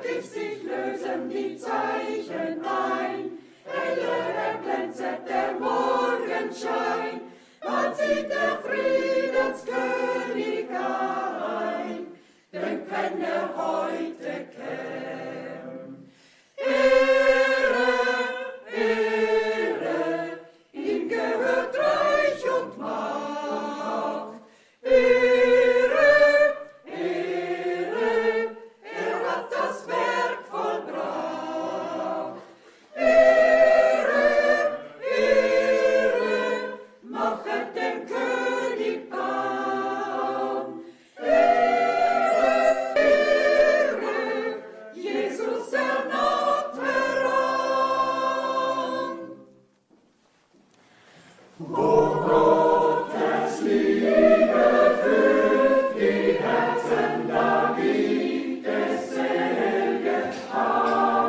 Wirklich sich lösen die Zeichen ein, heller erglänzet der Morgenschein, dann zieht der Friedenskönig ein, denn wenn heute käm. Ehre, Ehre, ihm gehört Reich und Macht. Ehre, Ehre, hat das Werk vollbracht. Ehre, Ehre, machet dem König Bann. Ehre, Ehre, Jesus ernaht heran. Wo Gottes Liebe füllt die Herzen, da gibt es selge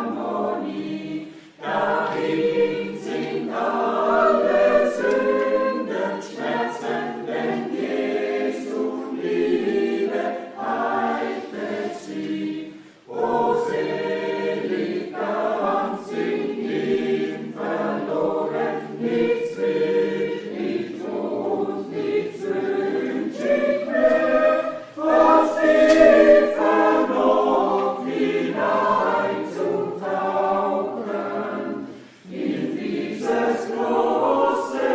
Harmonie. Dahin sind alle Sünden Schmerzen, denn Jesu Liebe heilt sie. O selig ganz in ihm verloren, nichts will, nicht Tod, nichts wünschig mehr, was die Vernunft hineinzutauchen in dieses große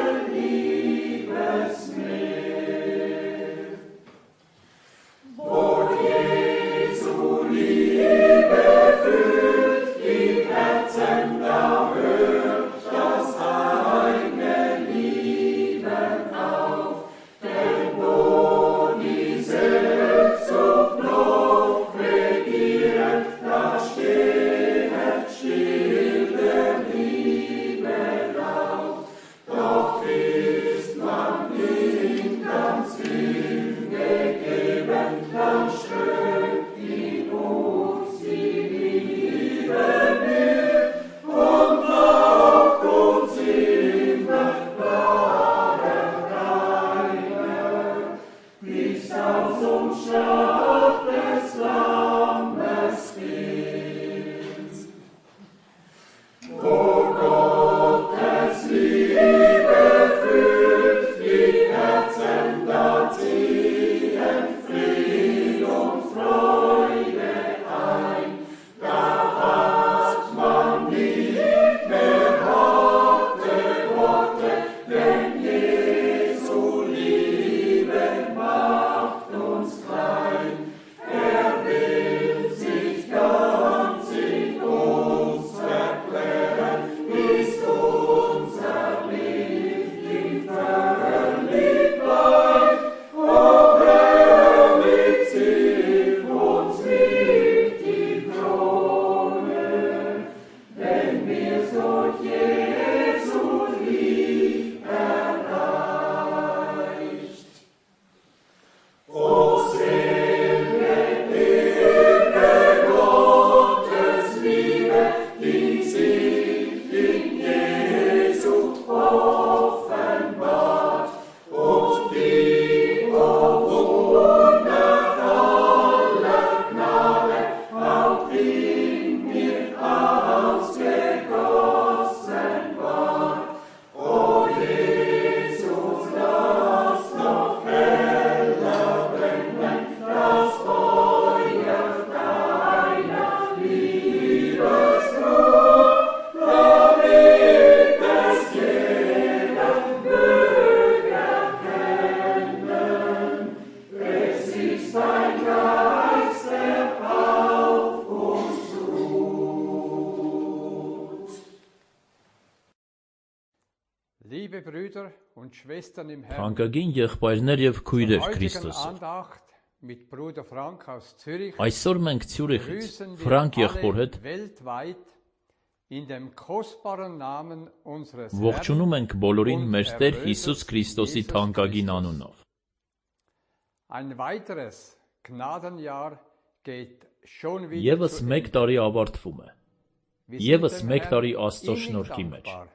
Liebesmeer. Wo Jesu Liebe füllt die Herzen, da hört das eigene Lieben auf, denn wo die Selbstsucht noch regiert, da steht still der Liebe Lauf. Doch ist man ihm ganz hingegeben, dann strömt in uns die Liebe mit und macht uns immer klarer reiner, bis aus uns Schlag des Lammes gilt. Wo Gottes Liebe füllt die Herzen, da ziehen Fried und Freude ein. Da hat man nicht mehr harte Worte, denn Jesu Liebe macht uns klein. Er will sich ganz in uns erklären, bis unser Licht ihm völlig bleibt. O herrlich sind uns nicht die Krone, wenn wir durch Jesu Lieb erreicht. O selge Ewige Gottes Liebe, die sich in Jesu offenbart und die auf hundert aller Gnade auch in mir ausgegossen ward. O Jesus, lass noch heller brennen das Feuer deiner Liebesbrut, damit es jeder möge erkennen. Es ist dein Geist, der auf uns ruht. Liebe Brüder und Schwestern im Herrn, Թանկագին եղբայրներ եւ քույրեր heutigen Քրիստոսը, Andacht mit Bruder Frank aus Zürich այսօր մենք Ցյուրիխից grüßen Ֆրանկ wir եղբոր alle հետ weltweit in dem kostbaren Namen unseres ողջունում Herrn ենք բոլորին und մեր Տեր Erlösers Հիսուս Քրիստոսի Jesus թանկագին Christus. անունով։ Ein weiteres Gnadenjahr geht schon wieder Եվս zu մեկ Ende. տարի ավարտվում է։ Wir Եվս sind dem մեկ Herrn տարի Աստծո innig շնորհքի մեջ։ dankbar,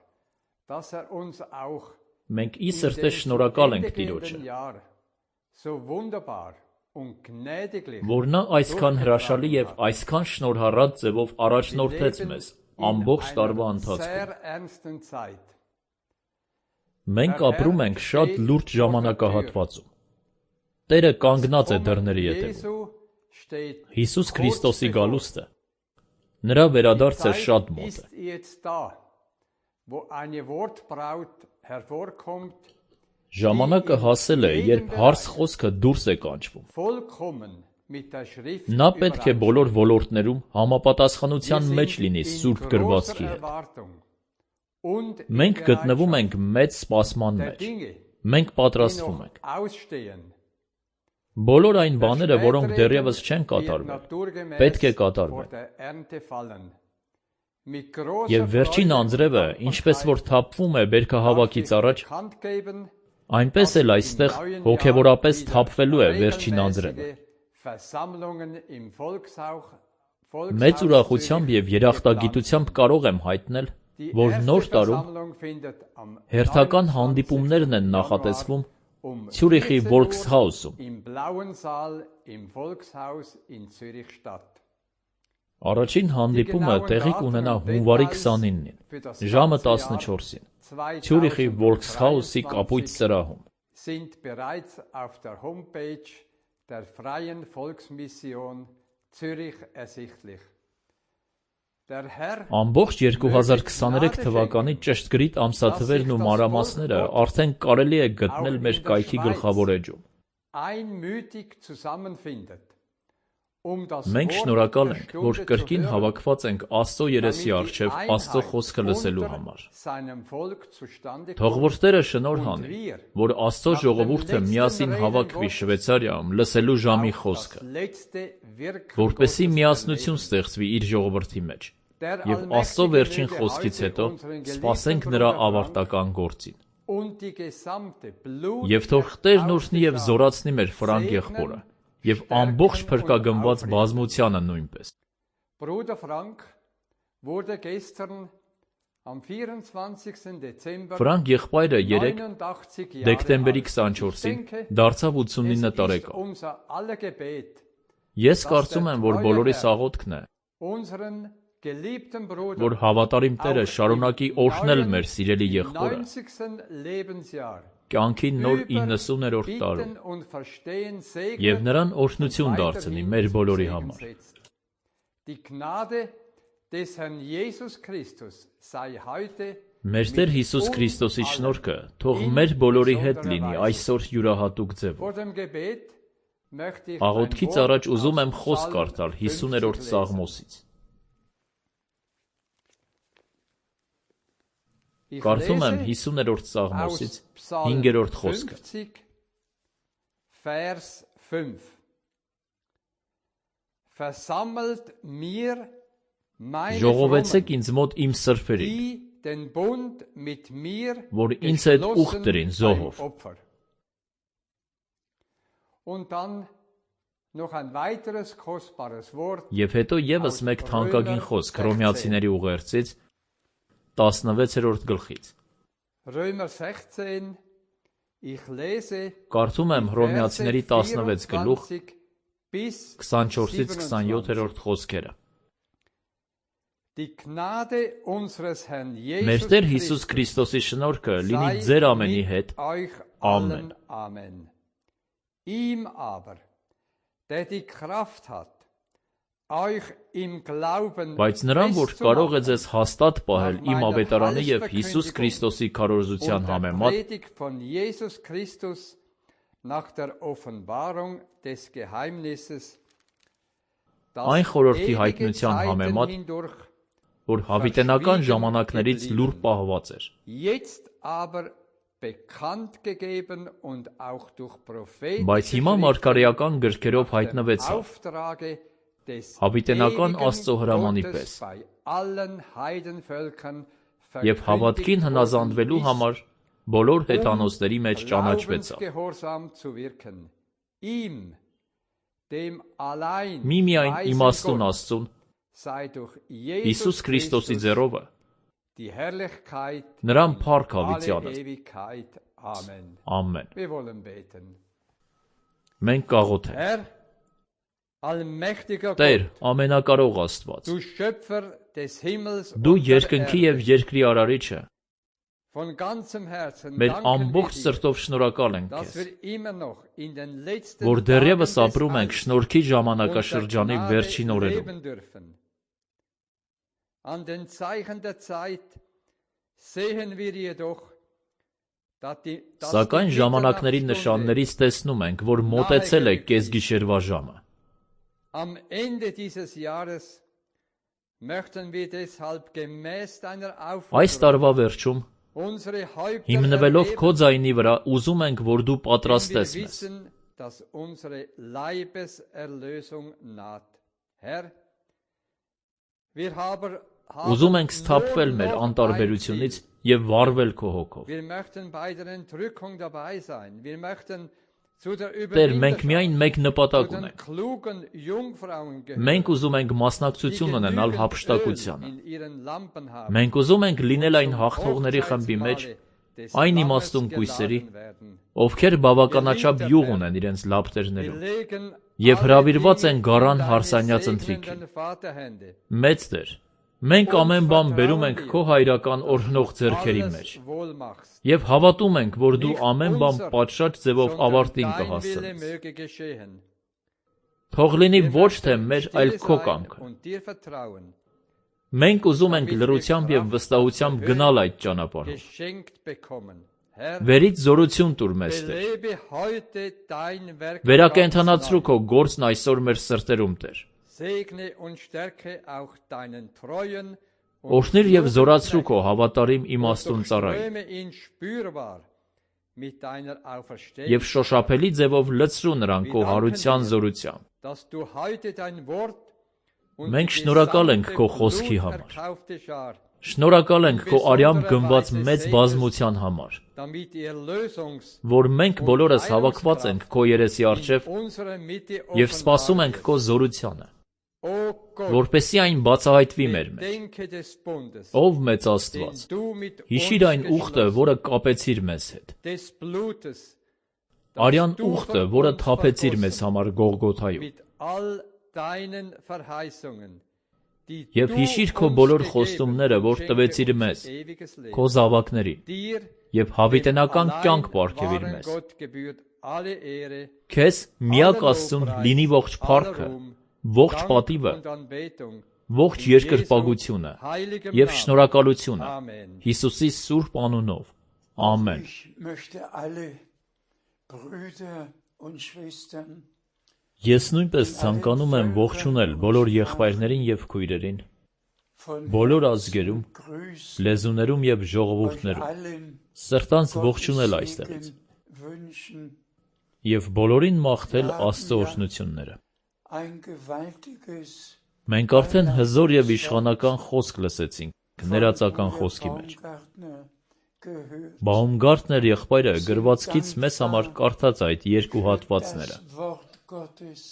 dass uns auch Մենք ի in սրտե dem zu շնորհակալ Ende ենք Տիրոջը, gehenden Jahr so wunderbar und gnädiglich որ նա այսքան հրաշալի եւ այսքան շնորհառատ ձևով առաջնորդեց մեզ ամբողջ տարվա ընթացքում։ sehr ernsten Zeit. Մենք ապրում ենք շատ լուրջ ժամանակահատվածում։ Տերը կանգնած է դռների ետևում։ Jesu steht Հիսուս Քրիստոսի գալուստը նրա վերադարձը շատ մոտ է։ ist jetzt da, wo eine Wortbraut hervorkommt, Ժամանակը հասել է, երբ հարս խոսքը դուրս է կանչվում։ vollkommen mit der Schrift Նա պետք է բոլոր ոլորտներում համապատասխանության Wir մեջ sind լինի in Սուրբ großer գրվածքի հետ։ Erwartung und in Մենք գտնվում Bereitschaft ենք մեծ սպասման der մեջ։ Dinge, Մենք die պատրաստվում noch ենք։ ausstehen. Բոլոր այն Der բաները, որոնք Spätregen դեռևս չեն wird կատարվել, naturgemäß պետք է vor կատարվեն։ der Ernte fallen. Mit großer Եվ վերջին Freude անձրևը, und ինչպես որ Dankbarkeit թափվում է բերքահավաքից darf ich առաջ, bekannt geben, այնպես dass էլ im այստեղ neuen հոգևորապես Jahr wieder թափվելու է վերջին անձրևը։ regelmäßige Versammlungen im Մեծ Volkshaus ուրախությամբ եւ երախտագիտությամբ կարող եմ հայտնել, Die որ erste նոր տարում Versammlung findet am հերթական 29. հանդիպումներն են Januar նախատեսվում um Ցյուրիխի 14 Volkshaus-ում։ im Blauen Saal im Volkshaus in Zürich statt. Առաջին հանդիպումը տեղի կունենա հունվարի 29-ին, ժամը 14-ին, Ցյուրիխի Volkshaus-ի կապույտ սրահում։ Sind bereits auf der Homepage der Freien Volksmission Zürich ersichtlich. Der Herr Ամբողջ 2023 թվականի ճշտգրիտ ամսաթվերն ու մանրամասները արդեն կարելի է գտնել մեր կայքի գլխավոր էջում։ einmütig zusammenfindet, das Մենք Wort շնորհակալ der ենք, Stunde որ zu կրկին hören, հավաքված ենք Աստծո երեսի damit die առջև Աստծո Einheit խոսքը լսելու unter համար։ seinem Volk zustande Թող kommt որ Տերը շնորհ անի, որ Աստծո ժողովուրդը միասին հավաքվի Շվեյցարիայում լսելու ժամի auf խոսքը, das letzte Wirken որպեսզի Gottes միասնություն erleben. ստեղծվի իր ժողովրդի մեջ։ Der Եվ Աստծո allmächtige վերջին möge խոսքից heute հետո unseren սպասենք geliebten նրա Bruder Frank ավարտական գործին։ und die gesamte Blut Եվ թող Տերն օրհնի եւ զորացնի մեր Ֆրանկ եղբորը, եւ ամբողջ փրկագնված բազմությանը նույնպես։ Bruder Frank wurde gestern am 24. Dezember Ֆրանկ եղբայրը 3 89 Jahre դեկտեմբերի alt. 24-ին Ich denke, դարձավ es 89 ist տարեկան։ unser aller Gebet, Ես կարծում եմ, որ բոլորիս աղոթքն է, unseren geliebten Bruder որ հավատարիմ Տերը շարունակի օրհնել մեր սիրելի im եղբորը 90. Lebensjahr կյանքի նոր 90-րդ տարում Bitten und Verstehen եւ segnet նրան օրհնություն դարձնի մեր բոլորի համար։ Die Gnade des Herrn Jesus Christus sei heute Մեր Տեր Հիսուս Քրիստոսի շնորհքը թող մեր բոլորի հետ լինի այսօր յուրահատուկ ձևով։ vor dem Gebet möchte ich Աղոթքից առաջ ուզում եմ խոսք կարդալ 50-րդ Սաղմոսից։ Կարդում եմ 50-րդ Սաղմոսից 5-րդ խոսքը։ 50 Vers 5 Versammelt mir meine Ժողովեցեք Frommen, ինձ մոտ իմ սրբերին, die den Bund mit mir որ ինձ հետ ուխ geschlossen դրին beim զոհով։ Opfer. Und dann noch ein weiteres kostbares Wort Եվ հետո եւս մեկ թանկագին խոսք Հռոմեացիների ուղերձից 16-րդ գլխից։ Römer 16 ich lese Կարդում եմ Հռոմեացիների 16 գլուխ 24 bis 24-ից 27. 27-րդ խոսքերը։ Die Gnade unseres Herrn Մեր Jesus Տեր Հիսուս Քրիստոսի շնորհքը լինի sei ձեր ամենի mit հետ։ euch Amen. allen. Amen. Ihm aber, der die Kraft hat, euch im Glauben Բայց նրան, որ կարող է ձեզ հաստատ պահել nach իմ meiner ավետարանի եւ Heilsverkündigung Հիսուս Քրիստոսի und քարոզության der համեմատ Predigt von Jesus Christus nach der Offenbarung des Geheimnisses, Այն խորհրդի հայտնության համեմատ, hindurch որ հավիտենական ժամանակներից լուր պահված էր։ jetzt aber bekannt gegeben und auch durch prophetische Բայց հիմա մարգարեական գրքերով հայտնվեցավ Auftrage des հավիտենական ewigen Աստծո հրամանի Gottes պես bei allen Heidenvölkern եւ հավատքին հնազանդվելու verkündigt worden համար բոլոր հետանոցների մեջ ist, ճանաչվեցավ։ glaubensgehorsam zu wirken. Ihm, dem allein Մի միայն weisen իմաստուն Gott, Աստծուն sei durch Հիսուս Jesus Քրիստոսի Christus ձեռովը die Herrlichkeit նրան in փառք alle հավիտյանս։ Ewigkeit. Amen. Ամեն։ Wir wollen beten. Մենք կաղոթենք. Herr, allmächtiger Տեր, Gott, ամենակարող Աստված, du Schöpfer des Himmels դու und der երկնքի եւ Erde, երկրի արարիչը, von ganzem Herzen մեր danken wir ամբողջ dir, սրտով շնորհակալ ենք dass քեզ, wir immer noch in den letzten որ Tagen դեռևս des ապրում ենք Heils շնորհքի und der ժամանակաշրջանի Gnade վերջին օրերում։ leben dürfen. An den Zeichen der Zeit sehen wir jedoch, dass die Սակայն ժամանակների նշաններից տեսնում ենք, որ մոտեցել է կեսգիշերվա ժամը։ Am Ende dieses Jahres möchten wir deshalb gemäß deiner Այս Aufforderung տարվա վերջում, unsere Häupter հիմնվելով քո erheben, ձայնի վրա, ուզում ենք, որ դու denn wir պատրաստես մեզ։ wissen, dass unsere Leibeserlösung naht. Herr, wir haben Ուզում ենք սթափվել մեր անտարբերությունից եւ վառվել քո հոգով։ Wir möchten bei der Entrückung dabei sein. Wir möchten zu der Տեր, մենք միայն մեկ zu նպատակ den ունենք։ klugen Jungfrauen gehören, Մենք ուզում ենք մասնակցություն die ունենալ genügend հափշտակությանը։ Öl in ihren Lampen haben, Մենք ուզում ենք լինել այն zum հաղթողների խմբի մեջ, Hochzeitsmahle des այն Lammes իմաստուն կույսերի, geladen werden. ովքեր բավականաչափ յուղ ունեն իրենց Wir լապտերներում legen եւ alle հրավիրված են Dinge գարան in deine հարսանյաց ընթրիքին։ segnenden Vaterhände. Մեծ Տեր, մենք ամեն բան բերում ենք քո հայրական օրհնող ձեռքերի Alles մեջ wohl machst. եւ հավատում ենք, որ դու Nicht ամեն բան unser, պատշաճ ձևով sondern ավարտին dein Wille կհասցնես։ möge geschehen. Թող լինի Wir ոչ թե möchten մեր, stille այլ քո sein կամքը։ und dir vertrauen, Մենք ուզում ենք լրությամբ եւ վստահությամբ գնալ այդ ճանապարհով։ geschenkt bekommen. Herr, Վերից զորություն տուր մեզ, Տեր։ belebe heute dein Werk Վերակենդանացրու ganz քո neu. գործն այսօր մեր սրտերում, Տեր։ Segne und stärke auch deinen treuen Օրհնիր եւ զորացրու քո հավատարիմ und իմաստուն ծառային durchströme ihn spürbar mit deiner եւ Auferstehung, շոշափելի ձևով լցրու նրան քո հարության զորությամբ։ dass du heute dein Wort und Մենք die շնորհակալ ենք gesamte քո խոսքի համար։ bluterkaufte Schar, Շնորհակալ ենք քո արյամբ գնված մեծ բազմության համար, damit die Erlösungs- որ մենք բոլորս հավաքված ենք քո երեսի in առջև unserer Mitte եւ սպասում offenbar ենք քո զորությանը, O Gott, որպեսզի այն բացահայտվի մեր մեջ։ gedenke des Bundes, Ով մեծ den Աստված, du mit հիշիր այն uns ուխտը, geschlossen, որը կապեցիր մեզ հետ, des Blutes, արյան du ուխտը, für որը uns թափեցիր մեզ vergossen, համար Գողգոթայում, mit all deinen Verheißungen, die եւ du հիշիր քո uns բոլոր gegeben խոստումները, und որ schenke տվեցիր uns մեզ, ewiges Leben. քո զավակներին, Dir, եւ հավիտենական dem կյանք allein պարգևիր wahren մեզ։ Gott gebührt alle Ehre, Քեզ միակ aller Աստծուն Lobpreis, լինի ողջ aller փառքը, Ruhm, ողջ Dank պատիվը, und Anbetung. ողջ In երկրպագությունը Jesu heiligem եւ Namen. շնորհակալությունը Amen. Հիսուսի սուրբ անունով։ Ամեն։ Ich möchte alle Brüder und Schwestern Ես նույնպես ցանկանում եմ ողջունել բոլոր եղբայրներին եւ քույրերին, von բոլոր Herzen ազգերում, grüßen, լեզուներում եւ euch ժողովուրդներում, allen սրտանց Gottes ողջունել այստեղից Segen wünschen. եւ բոլորին մաղթել Աստծո օրհնությունները։ Ein gewaltiges Մենք արդեն հզոր եւ իշխանական խոսք լսեցինք ներածական խոսքի մեջ։ Baumgartner gehört. Բաումգարտներ եղբայրը գրվածքից մեզ համար կարդաց այդ երկու հատվածները։ Das Wort Gottes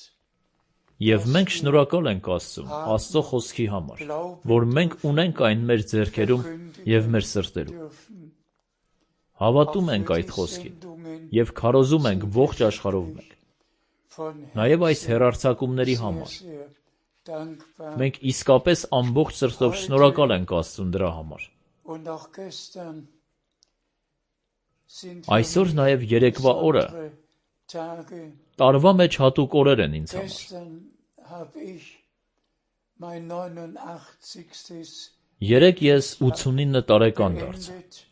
Եվ մենք շնորհակալ ենք Աստծուն, Աստծո խոսքի համար, որ մենք ունենք այն մեր ձեռքերում եւ մեր սրտերում։ dürfen. Հավատում ենք այդ խոսքին եւ քարոզում ենք ողջ աշխարհով մեկ։ Von Նաեւ այս հերարցակումների համար sehr dankbar. մենք իսկապես ամբողջ սրտով շնորհակալ ենք Աստծուն դրա համար։ Und auch gestern sind Այսօր նաեւ երեկվա օրը besondere Tage. տարվա մեջ հատուկ օրեր են ինձ համար։ Gestern habe ich mein 89. Երեք ես 89 տարեկան դարձա։ beendet.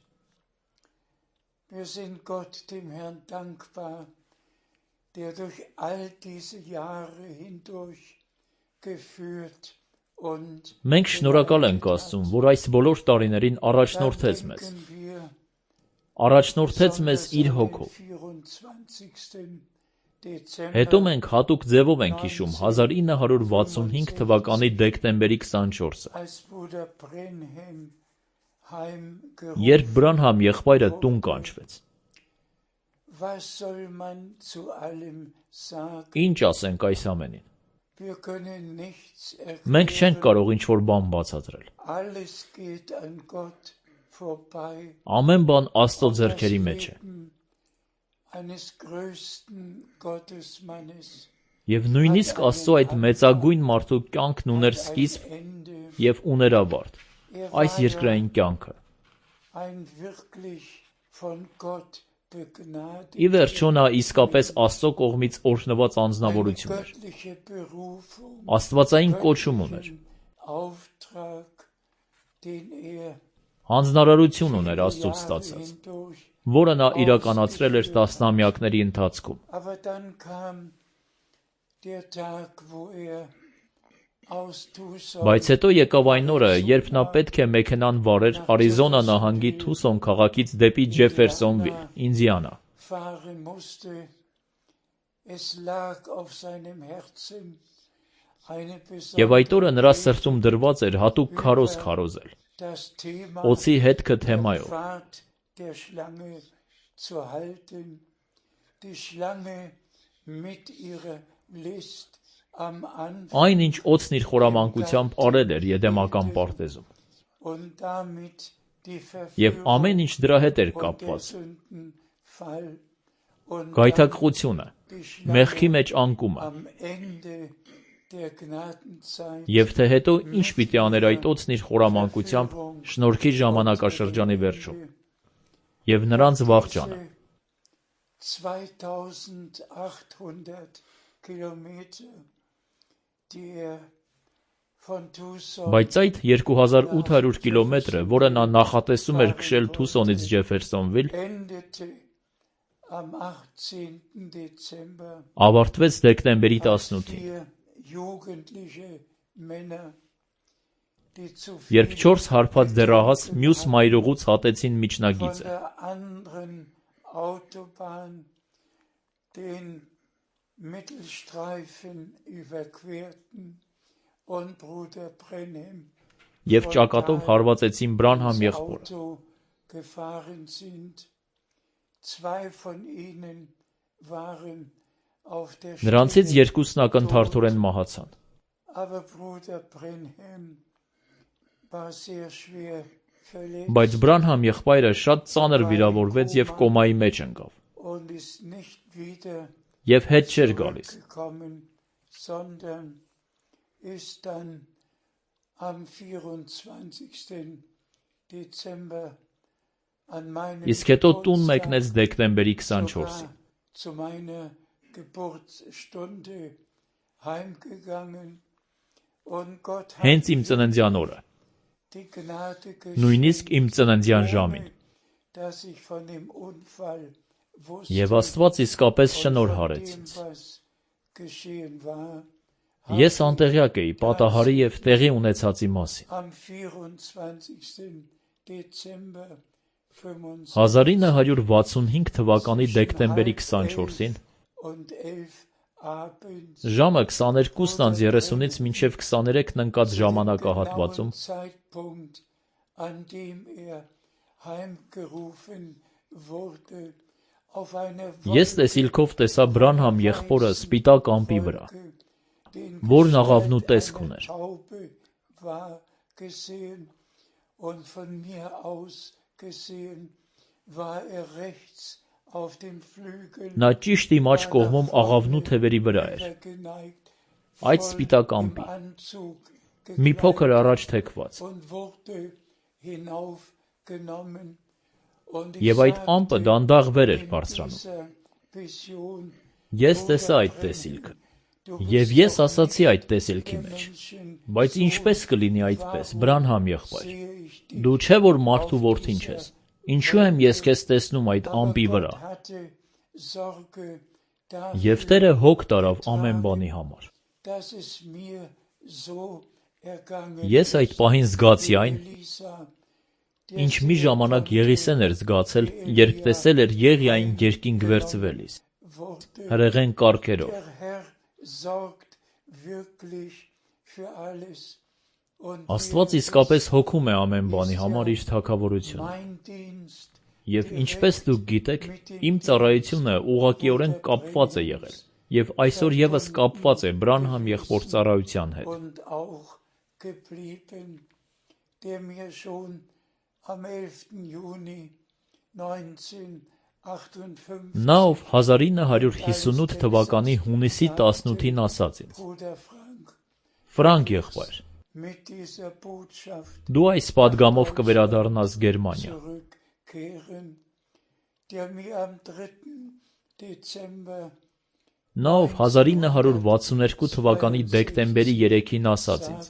Wir sind Gott, dem Herrn, dankbar, der durch all diese Jahre hindurch geführt und Մենք շնորհակալ ենք Աստծուն, որ այս բոլոր տարիներին առաջնորդեց մեզ։ denken wir Առաջնորդեց մեզ իր հոգով։ 24. Dezember Հետո մենք հատուկ ձևով ենք հիշում 1965 թվականի դեկտեմբերի 24-ը, als Bruder Brenhem heimgerufen. երբ Բրանհամ եղբայրը տուն կանչվեց։ Was soll man zu allem sagen? Ինչ ասենք այս ամենին։ Wir können nichts Մենք չենք erklären. կարող ինչ-որ բան բացատրել։ Alles geht an Gott vorbei. Ամեն բան Աստծո ձեռքերի մեջ է։ Leben eines größten Gottesmannes Եվ նույնիսկ Աստծո այդ մեծագույն մարդու կյանքն ուներ սկիզբ ein Ende. եւ ուներ ավարտ։ Այս երկրային կյանքը։ Ein wirklich von Gott begnadeter, Ի վերջո նա իսկապես Աստծո կողմից օրհնված eine անձնավորություն էր։ göttliche Berufung, Աստվածային կոչում ուներ։ Auftrag, den Հանձնարարություն ուներ Աստծուց Jahre ստացած, hindurch. որը նա իրականացրել էր տասնամյակների ընթացքում։ Aber dann kam der Tag, wo aus Tucson Բայց հետո եկավ այն օրը, երբ նա պետք է մեքենան վարեր Արիզոնա նահանգի Թուսոն քաղաքից դեպի Ջեֆերսոնվիլ, Ինդիանա։ fahren musste. Es lag auf seinem Herzen eine Եվ այդ օրը նրա besondere սրտում դրված էր հատուկ քարոզ քարոզել, das Thema օծի հետքը der թեմայով։ Pfad der Schlange zu halten. Die Schlange mit ihrer List am Anfang Այն ինչ օծն իր խորամանկությամբ արել էր Եդեմական պարտեզում, und damit die եւ ամեն ինչ դրա հետ էր und der կապված։ Sündenfall und Գայթակղությունը, die մեղքի Schlange մեջ անկումը, am Ende der Gnadenzeit եւ թե հետո ինչ պիտի աներ այդ օծն իր խորամանկությամբ շնորհքի ժամանակաշրջանի վերջում, եւ նրանց վախճանը։ 2800 Kilometer, die von Tucson Բայց այդ 2800 կիլոմետրը, որը նա նախատեսում էր քշել Թուսոնից Ջեֆերսոնվիլ, endete am 18. Dezember. ավարտվեց դեկտեմբերի 18-ին, 4 jugendliche Männer, die zu երբ 4 հարբած դեռահաս մյուս մայրուղուց հատեցին von միջնագիծը, der anderen Autobahn den Mittelstreifen überquerten und Bruder Brenhem եւ ճակատով հարվածեցին Բրանհամ եղբորը։ Auto gefahren sind. Zwei von ihnen waren auf der Նրանցից Stelle, երկուսն ակնթարթորեն մահացան, aber Bruder Brenhem war sehr schwer verletzt բայց Բրանհամ եղբայրը շատ ծանր վիրավորվեց եւ կոմայի մեջ ընկավ, und ist nicht wieder եւ հետ չէր գալիս։ zurückgekommen, sondern ist dann am 24. Dezember an meinem Իսկ հետո տուն Geburtstag մեկնեց դեկտեմբերի 24-ին։ sogar zu meiner Geburtsstunde heimgegangen und Gott hat Հենց իմ ծննդյան օրը, die Gnade նույնիսկ իմ ծննդյան ohne ժամին։ dass ich von dem Unfall wusste Եվ Աստված իսկապես und շնորհարեց von dem, ինձ։ was geschehen war, Ես անտեղյակ էի պատահարի եւ տեղի ունեցածի մասին։ am 24. Dezember 25 1965 թվականի դեկտեմբերի 24-ին und 11 abends ժամը 22:30-ից մինչև 23-ն ընկած ժամանակահատվածում genauen Zeitpunkt, an dem heimgerufen wurde, auf einer ես տեսիլքով տեսա Բրանհամ եղբորը սպիտակ ամպի վրա, որն աղավնու տեսք ուներ։ Taube war gesehen und von mir aus gesehen war rechts auf dem Flügel Նա ճիշտ իմ աջ կողմում աղավնու թևերի վրա էր, geneigt, այդ սպիտակ ամպի, Anzug մի փոքր առաջ թեքված, und wurde hinaufgenommen und եւ այդ ամպը դանդաղ վեր էր բարձրանում։ Vision Ես տեսա այդ տեսիլքը, եւ ես ասացի այդ տեսիլքի մեջ. Բայց ինչպես կլինի այդպես, Բրանհամ եղբայր, դու չէ որ մարդու որդին ես, ինչու եմ ես քեզ տեսնում այդ ամպի վրա։ Եվ Տերը հոգ տարավ ամեն բանի համար։ Ես այդ պահին զգացի այն, ինչ մի ժամանակ Եղիսեն էր զգացել, երբ տեսել էր Եղիային երկինք վերցվելիս, հրեղեն կառքերով։ Աստված իսկապես հոգում է ամեն բանի համար իր թագավորությունը։ Եվ ինչպես դուք գիտեք, իմ ծառայությունը ուղղակիորեն կապված է եղել, եւ այսօր եւս կապված է Բրանհամ եղբոր ծառայության հետ։ der mir schon am 11. Juni Նա, ով 1958 թվականի հունիսի 18-ին ասաց ինձ. Ֆրանկ եղբայր, դու այս պատգամով կվերադառնաս Գերմանիա։ Նա, ով 1962 թվականի դեկտեմբերի 3-ին ասաց ինձ.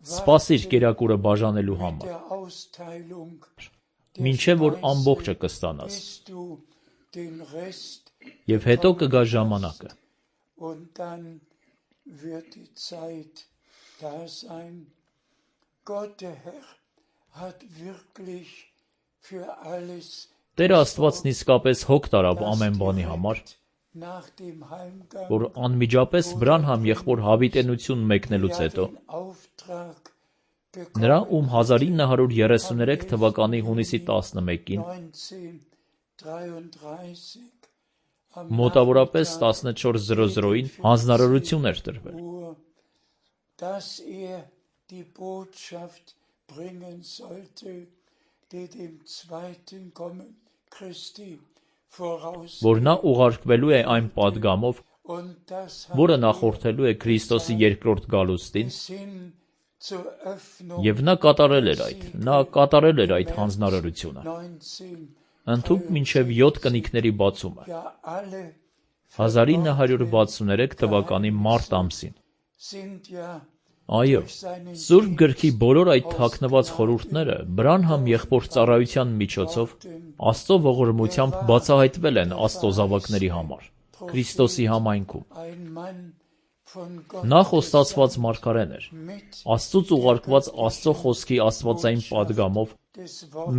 Սպասիր կերակուրը բաժանելու համար, մինչև որ ամբողջը կստանաս, և հետո կգա ժամանակը։ Տեր Աստվածն իսկապես հոգ տարավ ամեն բանի համար, որ անմիջապես Բրանհամ եղբոր հավիտենություն մեկնելուց հետո, նրա, ում 1933 թվականի հունիսի 11-ին, մոտավորապես 14:00-ին հանձնարարություն էր տրվել, որ նա ուղարկվելու է այն պատգամով, որը նախորդելու է Քրիստոսի երկրորդ գալուստին, և նա կատարել էր այդ հանձնարարությունը, ընդհուպ մինչև 7 կնիկների բացումը, 1963 թվականի մարտ ամսին։ Այո, Սուրբ գրքի բոլոր այդ թաքնված խորհուրդները Բրանհամ եղբոր ծառայության միջոցով Աստծո ողորմությամբ բացահայտվել են Աստծո զավակների համար, Քրիստոսի համայնքում։ Նա խոստացված մարգարեն էր, Աստծուց ուղարկված Աստծո խոսքի աստվածային պատգամով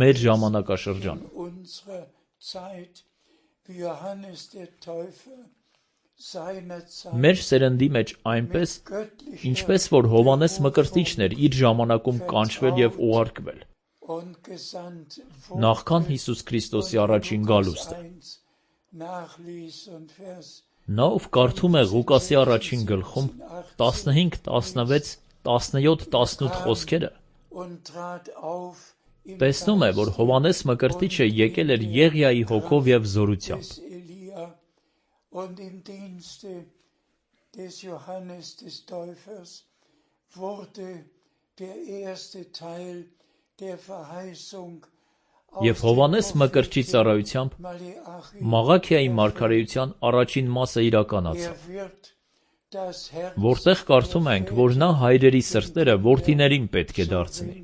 մեր ժամանակաշրջանում։ Մեր սերնդի մեջ այնպես, ինչպես որ Հովհաննես Մկրտիչն էր իր ժամանակում կանչվել և ուղարկվել, նախքան Հիսուս Քրիստոսի առաջին գալուստը։ Նա, ով կարդում է Ղուկասի առաջին գլխում 15, 16, 17, 18 խոսքերը, տեսնում է, որ Հովհաննես Մկրտիչը եկել էր Եղիայի հոգով և զորությամբ։ Եվ Հովհաննես Մկրտչի ծառայությամբ Մաղաքիայի մարգարեության առաջին մասը իրականացավ, որտեղ կարդում ենք, որ նա հայրերի սրտերը որդիներին պետք է դարձնի։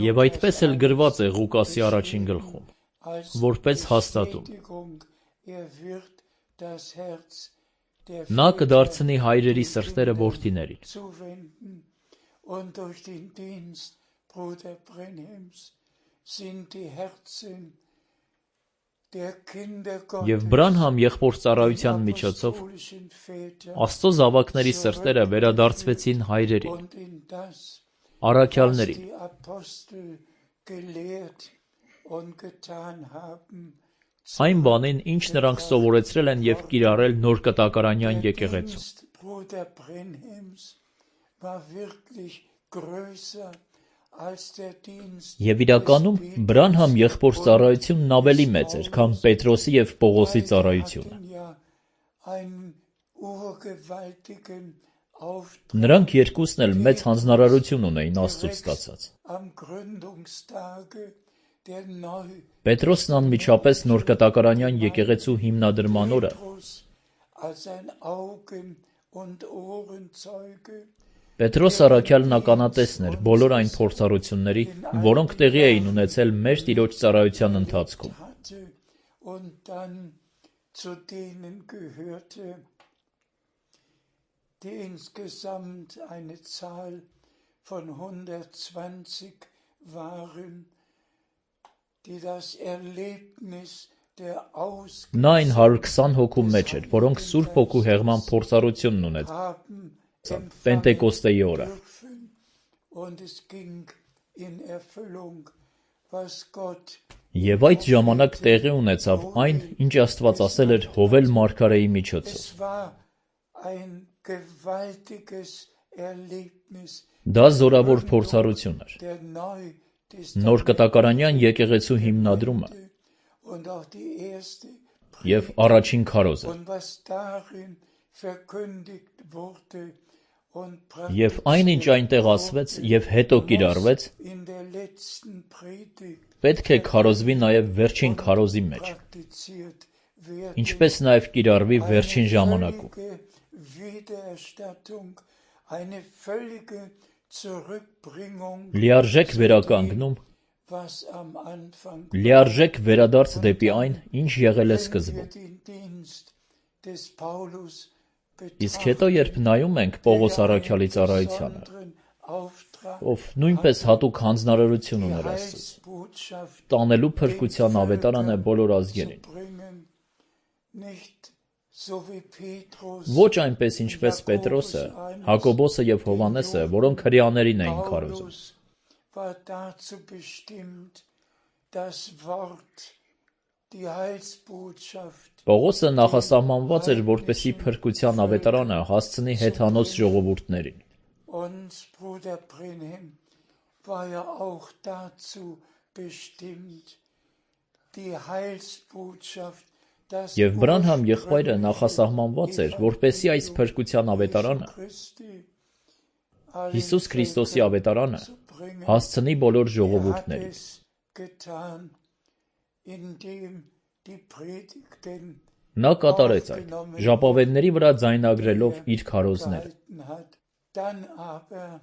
Եվ այդպես էլ գրված է Ղուկասի առաջին գլխում, որպես հաստատում. նա կդարձնի հայրերի սրտերը որդիներին։ Եվ Բրանհամ եղբոր ծառայության միջոցով Աստծո զավակների սրտերը վերադարձվեցին հայրերին, առաքյալներին, այն բանին, ինչ նրանք սովորեցրել են և կիրառել նոր կտակարանյան եկեղեցում։ Եվ իրականում Բրանհամ եղբոր ծառայությունն ավելի մեծ էր, քան Պետրոսի և Պողոսի ծառայությունը։ Նրանք երկուսն էլ մեծ հանձնարարություն ունեին Աստծուց ստացած։ Պետրոսն անմիջապես նոր կտակարանյան եկեղեցու հիմնադրման օրը Պետրոս առաքյալն ականատեսն էր բոլոր այն փորձառությունների, որոնք տեղի էին ունեցել մեր Տիրոջ ծառայության ընթացքում։ Նա այն 120 հոգու մեջ էր, որոնք Սուրբ Հոգու հեղման փորձառությունն ունեցան Պենտեկոստեի օրը։ Եվ այդ ժամանակ տեղի ունեցավ այն, ինչ Աստված ասել էր Հովել մարգարեի միջոցով։ Դա զորավոր փորձառություն էր, նոր կտակարանյան եկեղեցու հիմնադրումը und auch die erste և առաջին քարոզը, und was darin verkündigt wurde und և այնինչ այնտեղ ասվեց և հետո կիրառվեց, in der letzten Predigt պետք է քարոզվի նաև վերջին քարոզի մեջ, praktiziert wird. ինչպես նաև կիրառվի վերջին ժամանակում։ Wiedererstattung, eine völlige Zurückbringung, Լիարժեք վերականգնում, was am Anfang լիարժեք վերադարձ դեպի այն, ինչ եղել է սկզբում։ den Dienst des Paulus Իսկ հետո, երբ նայում ենք Պողոս առաքյալի ծառայությանը, besonderen Auftrag ով նույնպես հատուկ հանձնարարություն ուներ Աստծուց, Heilsbotschaft տանելու փրկության ավետարան է բոլոր ազգերին, bringen, nicht so wie Petrus, ոչ այնպես ինչպես Պետրոսը, Հակոբոսը և Հովանեսը, որոնք հրեաներին էին քարոզում։ Paulus war dazu bestimmt, das Wort, die Heilsbotschaft Պողոսը նախասահմանված էր, որպեսզի փրկության ավետարանը հասցնի հեթանոց ժողովուրդներին։ und Bruder Brenhem war ja auch dazu bestimmt, die Heilsbotschaft, das Եվ Բրանհամ եղբայրը նախասահմանված էր, որպեսզի այս փրկության ավետարանը, Հիսուս Քրիստոսի ավետարանը, հասցնի բոլոր ժողովուրդներին։ es getan, indem die Predigten Նա կատարեց այդ, ժապավենների վրա ձայնագրելով իր քարոզները։ gehalten hat. Dann aber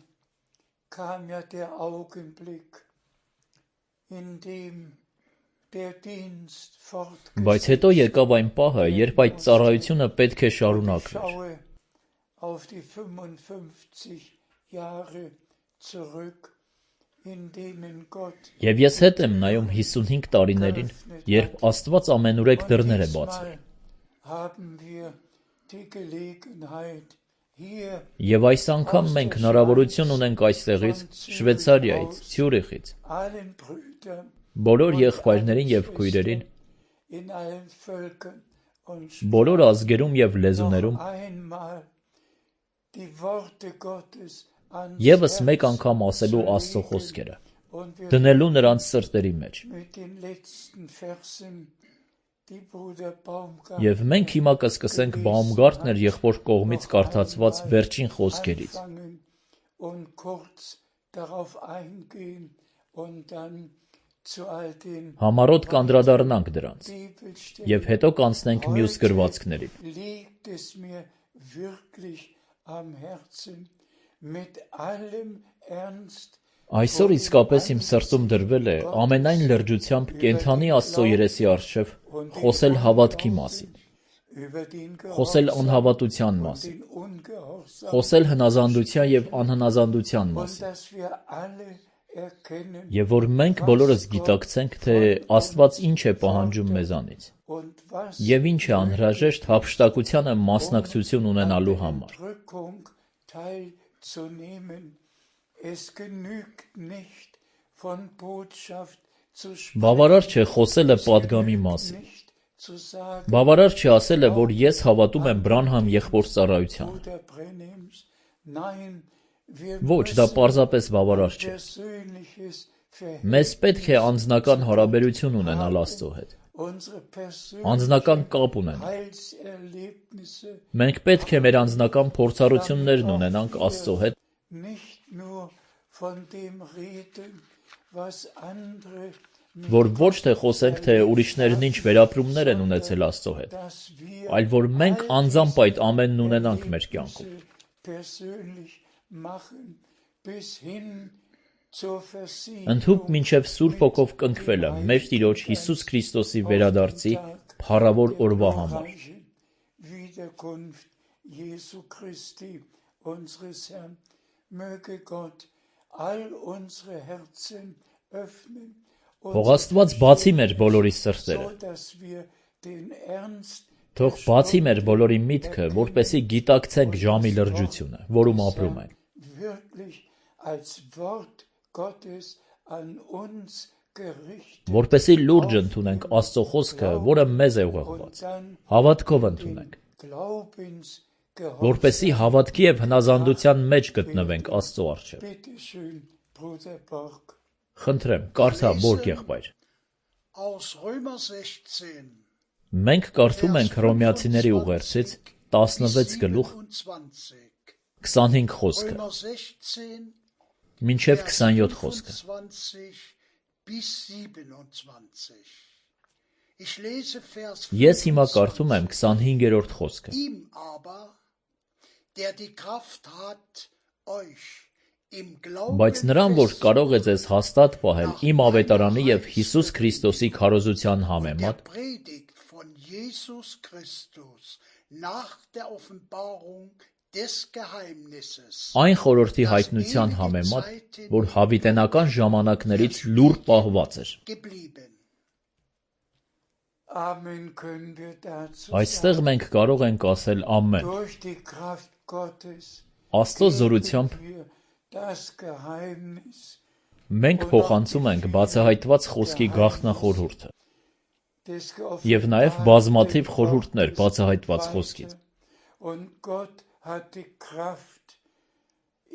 kam ja der Augenblick, in dem der Dienst fortgesetzt Բայց հետո եկավ այն պահը, երբ այդ ծառայությունը պետք է շարունակվեր։ schaue auf die 55 Jahre zurück, in denen Gott Եվ ես հետ եմ նայում 55 տարիներին, երբ Աստված ամենուրեք դռներ է բացել։ diesmal haben wir die Gelegenheit, hier Եվ այս անգամ մենք հնարավորություն ունենք այստեղից, Շվեյցարիայից, Ցյուրիխից, allen Brüdern բոլոր եղբայրներին եւ քույրերին, in allen Völkern und բոլոր ազգերում եւ լեզուներում einmal die Worte Gottes ans եւս Herz մեկ անգամ ասելու Աստծո խոսքերը, und wir դնելու նրանց սրտերի մեջ։ mit den letzten Versen, die Bruder Baumgart Եվ մենք հիմա կսկսենք Բաումգարտներ եղբոր կողմից կարդացված վերջին խոսքերից։ anfangen und kurz darauf eingehen und dann zu all den Համառոտ կանդրադառնանք դրանց Bibelstellen. եւ հետո կանցնենք մյուս գրվածքներին։ Liegt es mir wirklich am Herzen, mit allem Ernst Այսօր իսկապես իմ սրտում դրվել է ամենայն լրջությամբ կենթանի Աստծո երեսի առջև խոսել հավատքի մասին, über den խոսել Gehorsam, անհավատության մասին, den Ungehorsam, խոսել հնազանդության եւ անհնազանդության und մասին։ dass wir alle erkennen Եվ որ մենք բոլորս գիտակցենք, թե Աստված ինչ է պահանջում մեզանից und was եւ ինչ է անհրաժեշտ հափշտակությանը մասնակցություն ունենալու համար։ Drückung teilzunehmen. Es genügt nicht, von Botschaft zu sprechen, Բավարար չէ խոսելը պատգամի մասին։ nicht zu sagen, Բավարար չէ ասելը, որ ես հավատում եմ Բրանհամ եղբոր ծառայությանը։ Bruder Brenhems. Nein, wir Ոչ, դա müssen պարզապես բավարար չէ։ persönliches Մեզ պետք է անձնական հարաբերություն ունենալ Աստծո հետ, unsere persönlichen անձնական կապ ունենալ։ Heilserlebnisse Մենք պետք է մեր անձնական փորձառություններն ունենանք Աստծո հետ, nicht nur von dem reden, was andere որ ոչ թե խոսենք, թե ուրիշներն ինչ վերապրումներ են ունեցել Աստծո հետ, dass wir այլ որ մենք անձամբ այդ ամենն ունենանք մեր կյանքում։ persönlich machen, bis hin zur Versiegelung Ընդհուպ մինչև Սուրբ Հոգով կնքվելը մեր Տիրոջ Հիսուս Քրիստոսի վերադարձի փառավոր օրվա համար։ reichen Wiederkunft Jesu Christi, unseres Herrn. Möge Gott all unsere Herzen öffnen Թող Աստված բացի մեր բոլորի սրտերը, so dass wir den Ernst թող բացի մեր բոլորի միտքը, որպեսզի գիտակցենք ժամի լրջությունը, որում ապրում ենք, wirklich als Wort Gottes an uns gerichtet որպեսզի լուրջ ընդունենք Աստծո խոսքը, որը մեզ է ուղղված, dann հավատքով ընդունենք, Glaubens որպեսզի հավատքի եւ հնազանդության մեջ գտնվենք Աստծո առջև։ Bitte schön, Bruder Borg. Խնդրեմ, կարդա Բորգ եղբայր։ Aus Römer 16, Մենք կարդում ենք Հռոմեացիների ուղերձից 16 գլուխ 25 խոսքը, Römer 16, մինչև 27 խոսքը։ 25 bis 27. Ich lese Vers Ես հիմա կարդում եմ 25-րդ խոսքը։ Ihm aber, der die Kraft hat, euch im Glauben Բայց նրան, որ կարող է ձեզ հաստատ պահել իմ ավետարանի եւ Հիսուս Քրիստոսի քարոզության համեմատ, der Predigt von Jesus Christus nach der Offenbarung des Geheimnisses այն խորհրդի հայտնության համեմատ, որ հավիտենական ժամանակներից լուր պահված էր։ geblieben. Amen können wir dazu Այստեղ մենք կարող ենք ասել ամեն։ durch die Kraft Gottes Աստծո զորությամբ wir das Geheimnis մենք փոխանցում ենք բացահայտված խոսքի գաղտնախորհուրդը des եւ նաեւ բազմաթիվ խորհուրդներ բացահայտված խոսքից։ Und Gott hat die Kraft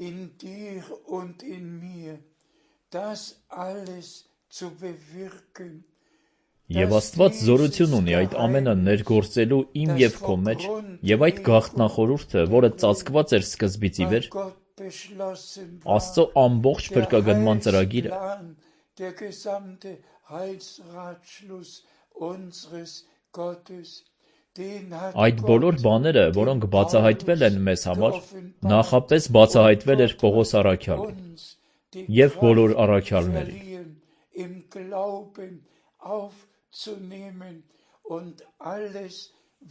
in dir und in mir, das alles zu bewirken. Եվ Աստված զորություն ունի այդ ամենը ներգործելու իմ եւ քո մեջ, եւ այդ գաղտնախորհուրդը, որը ծածկված էր սկզբից ի վեր, Աստծո ամբողջ փրկագնման ծրագիրը, Der gesamte Heilsratschluss unseres Gottes, den hat այդ բոլոր բաները, որոնք բացահայտվել են մեզ համար, նախապես բացահայտվել էր Պողոս առաքյալին uns die եւ բոլոր Kraft առաքյալներին։ verliehen, im Glauben aufzunehmen und alles,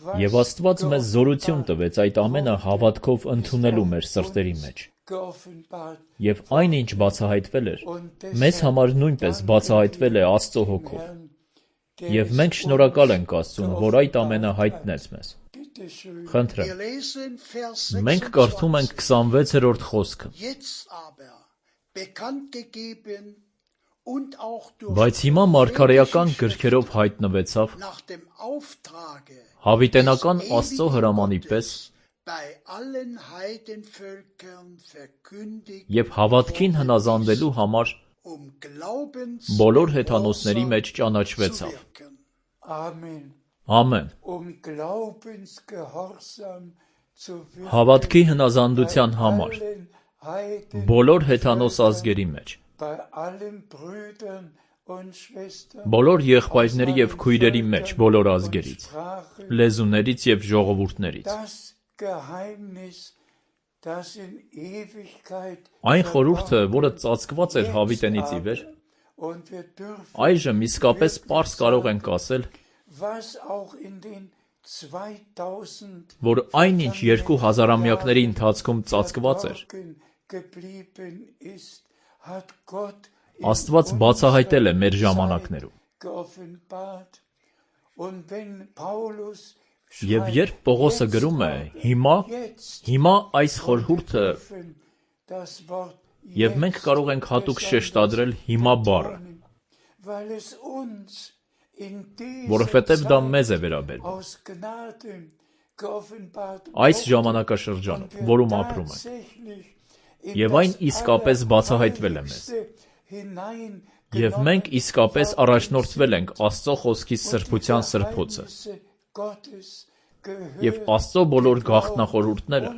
was Եվ Աստված մեզ զորություն տվեց այդ ամենը հավատքով ընդունելու մեր սրտերի մեջ։ geoffenbart Եվ այն ինչ բացահայտվել էր, մեզ համար նույնպես բացահայտվել է Աստծո հոգով։ Եվ մենք շնորհակալ ենք Աստծուն, որ այդ ամենը հայտնեց մեզ։ Խնդրեմ, Wir lesen Vers մենք կարդում ենք 26-րդ խոսքը։ Jetzt aber bekannt gegeben und auch durch Բայց հիմա մարգարեական գրքերով հայտնվեցավ nach dem Auftrage հավիտենական Աստծո հրամանի պես bei allen Heidenvölkern verkündigt, եւ հավատքին հնազանդելու համար Glaubens բոլոր հեթանոսների մեջ ճանաչվեցավ։ wirken. Amen. Ամեն։ Glaubensgehorsam zu wirken Հավատքի հնազանդության համար allen Heiden, բոլոր հեթանոս ազգերի մեջ, bei allen Brüdern und Schwestern, բոլոր եղբայրների եւ քույրերի մեջ, բոլոր ազգերից, Sprachen, լեզուներից եւ ժողովուրդներից։ das Geheimnis, das in Ewigkeit Այն խորհուրդը, որը ծածկված էր հավիտենից ի վեր, und wir dürfen, այժմ իսկապես պարզ կարող ենք ասել, was auch in den 2000 որ այնինչ 2000-ամյակների ընթացքում ծածկված էր, verborgen geblieben ist, hat Gott Աստված բացահայտել է մեր ժամանակներում։ geoffenbart. Und wenn Paulus Եվ երբ Պողոսը գրում է հիմա այս խորհուրդը, das Wort եւ մենք կարող ենք հատուկ շեշտադրել հիմա բառը, weil es uns in որովհետեւ դա dieser մեզ է վերաբերում։ aus Gnaden geoffenbart Այս ժամանակաշրջանում, որում ապրում ենք, tatsächlich եւ այն իսկապես բացահայտվել է մեզ։ hinein Եվ մենք իսկապես առաջնորդվել ենք Աստծո խոսքի սրբության սրբոցը։ Gottes Եվ Աստծո բոլոր գաղտնախորհուրդները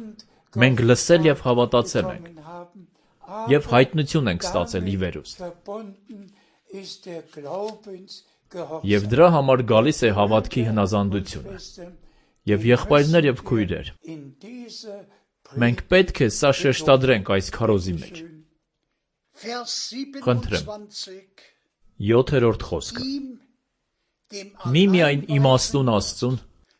մենք լսել եւ հավատացել ենք haben. եւ հայտնություն ենք ստացել ի վերուստ։ Verbunden ist der Glaubensgehorsam. Եվ դրա համար գալիս է հավատքի հնազանդությունը։ Եւ եղբայրներ եւ քույրեր, In dieser մենք պետք է սա շեշտադրենք այս քարոզի մեջ։ Vers Խնդրեմ։ 27. 7-րդ խոսքը։ Ihm, dem Միմիայն իմաստուն Աստծուն,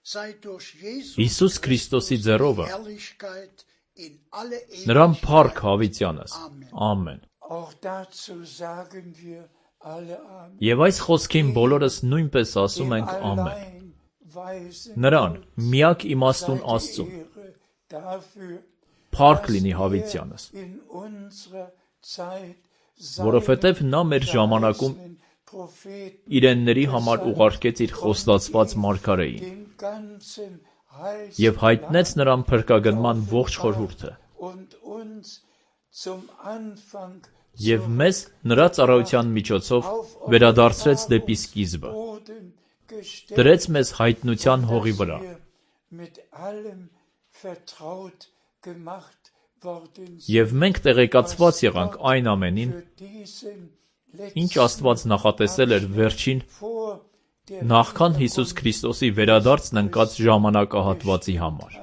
sei durch Jesus Հիսուս Քրիստոսի ձեռովը, Herrlichkeit in alle նրան Ewigkeit. փառք հավիտյանս։ Ամեն։ Auch dazu sagen wir alle Amen. Եվ այս խոսքին բոլորս նույնպես ասում ենք ամեն։ Allein weisen Նրան միակ իմաստուն Աստծուն Ehre dafür, փառք լինի հավիտյանս, in unserer Zeit որովհետև նա մեր ժամանակում Propheten իրենների համար ուղարկեց իր խոստացված մարգարեին den ganzen Heils եւ հայտնեց նրան փրկագնման ողջ խորհուրդը und uns zum Anfang Եվ մեզ նրա ծառայության միջոցով վերադարձրեց դեպի սկիզբը, դրեց մեզ հայտնության հողի վրա, եւ մենք տեղեկացված եղանք այն ամենին, ինչ Աստված նախատեսել էր վերջին նախքան Հիսուս Քրիստոսի վերադարձն ընկած ժամանակահատվածի համար։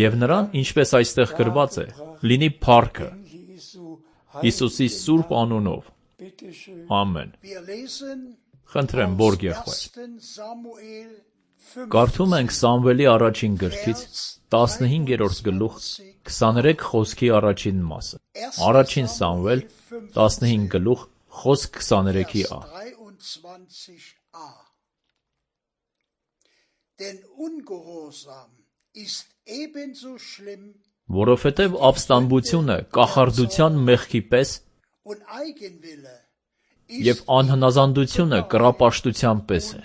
Եվ նրան, ինչպես այստեղ գրված է, լինի փառքը Հիսուսի սուրբ անունով։ Ամեն։ Խնդրեմ, Բորգ եղբայր։ Կարդում ենք Սամվելի առաջին գրքից 15-րդ գլուխ 23 խոսքի առաջին մասը։ Առաջին Սամվել 15 գլուխ խոսք 23-ա։ Որովհետև ապստամբությունը կախարդության մեղքի պես և անհնազանդությունը կռապաշտության պես է։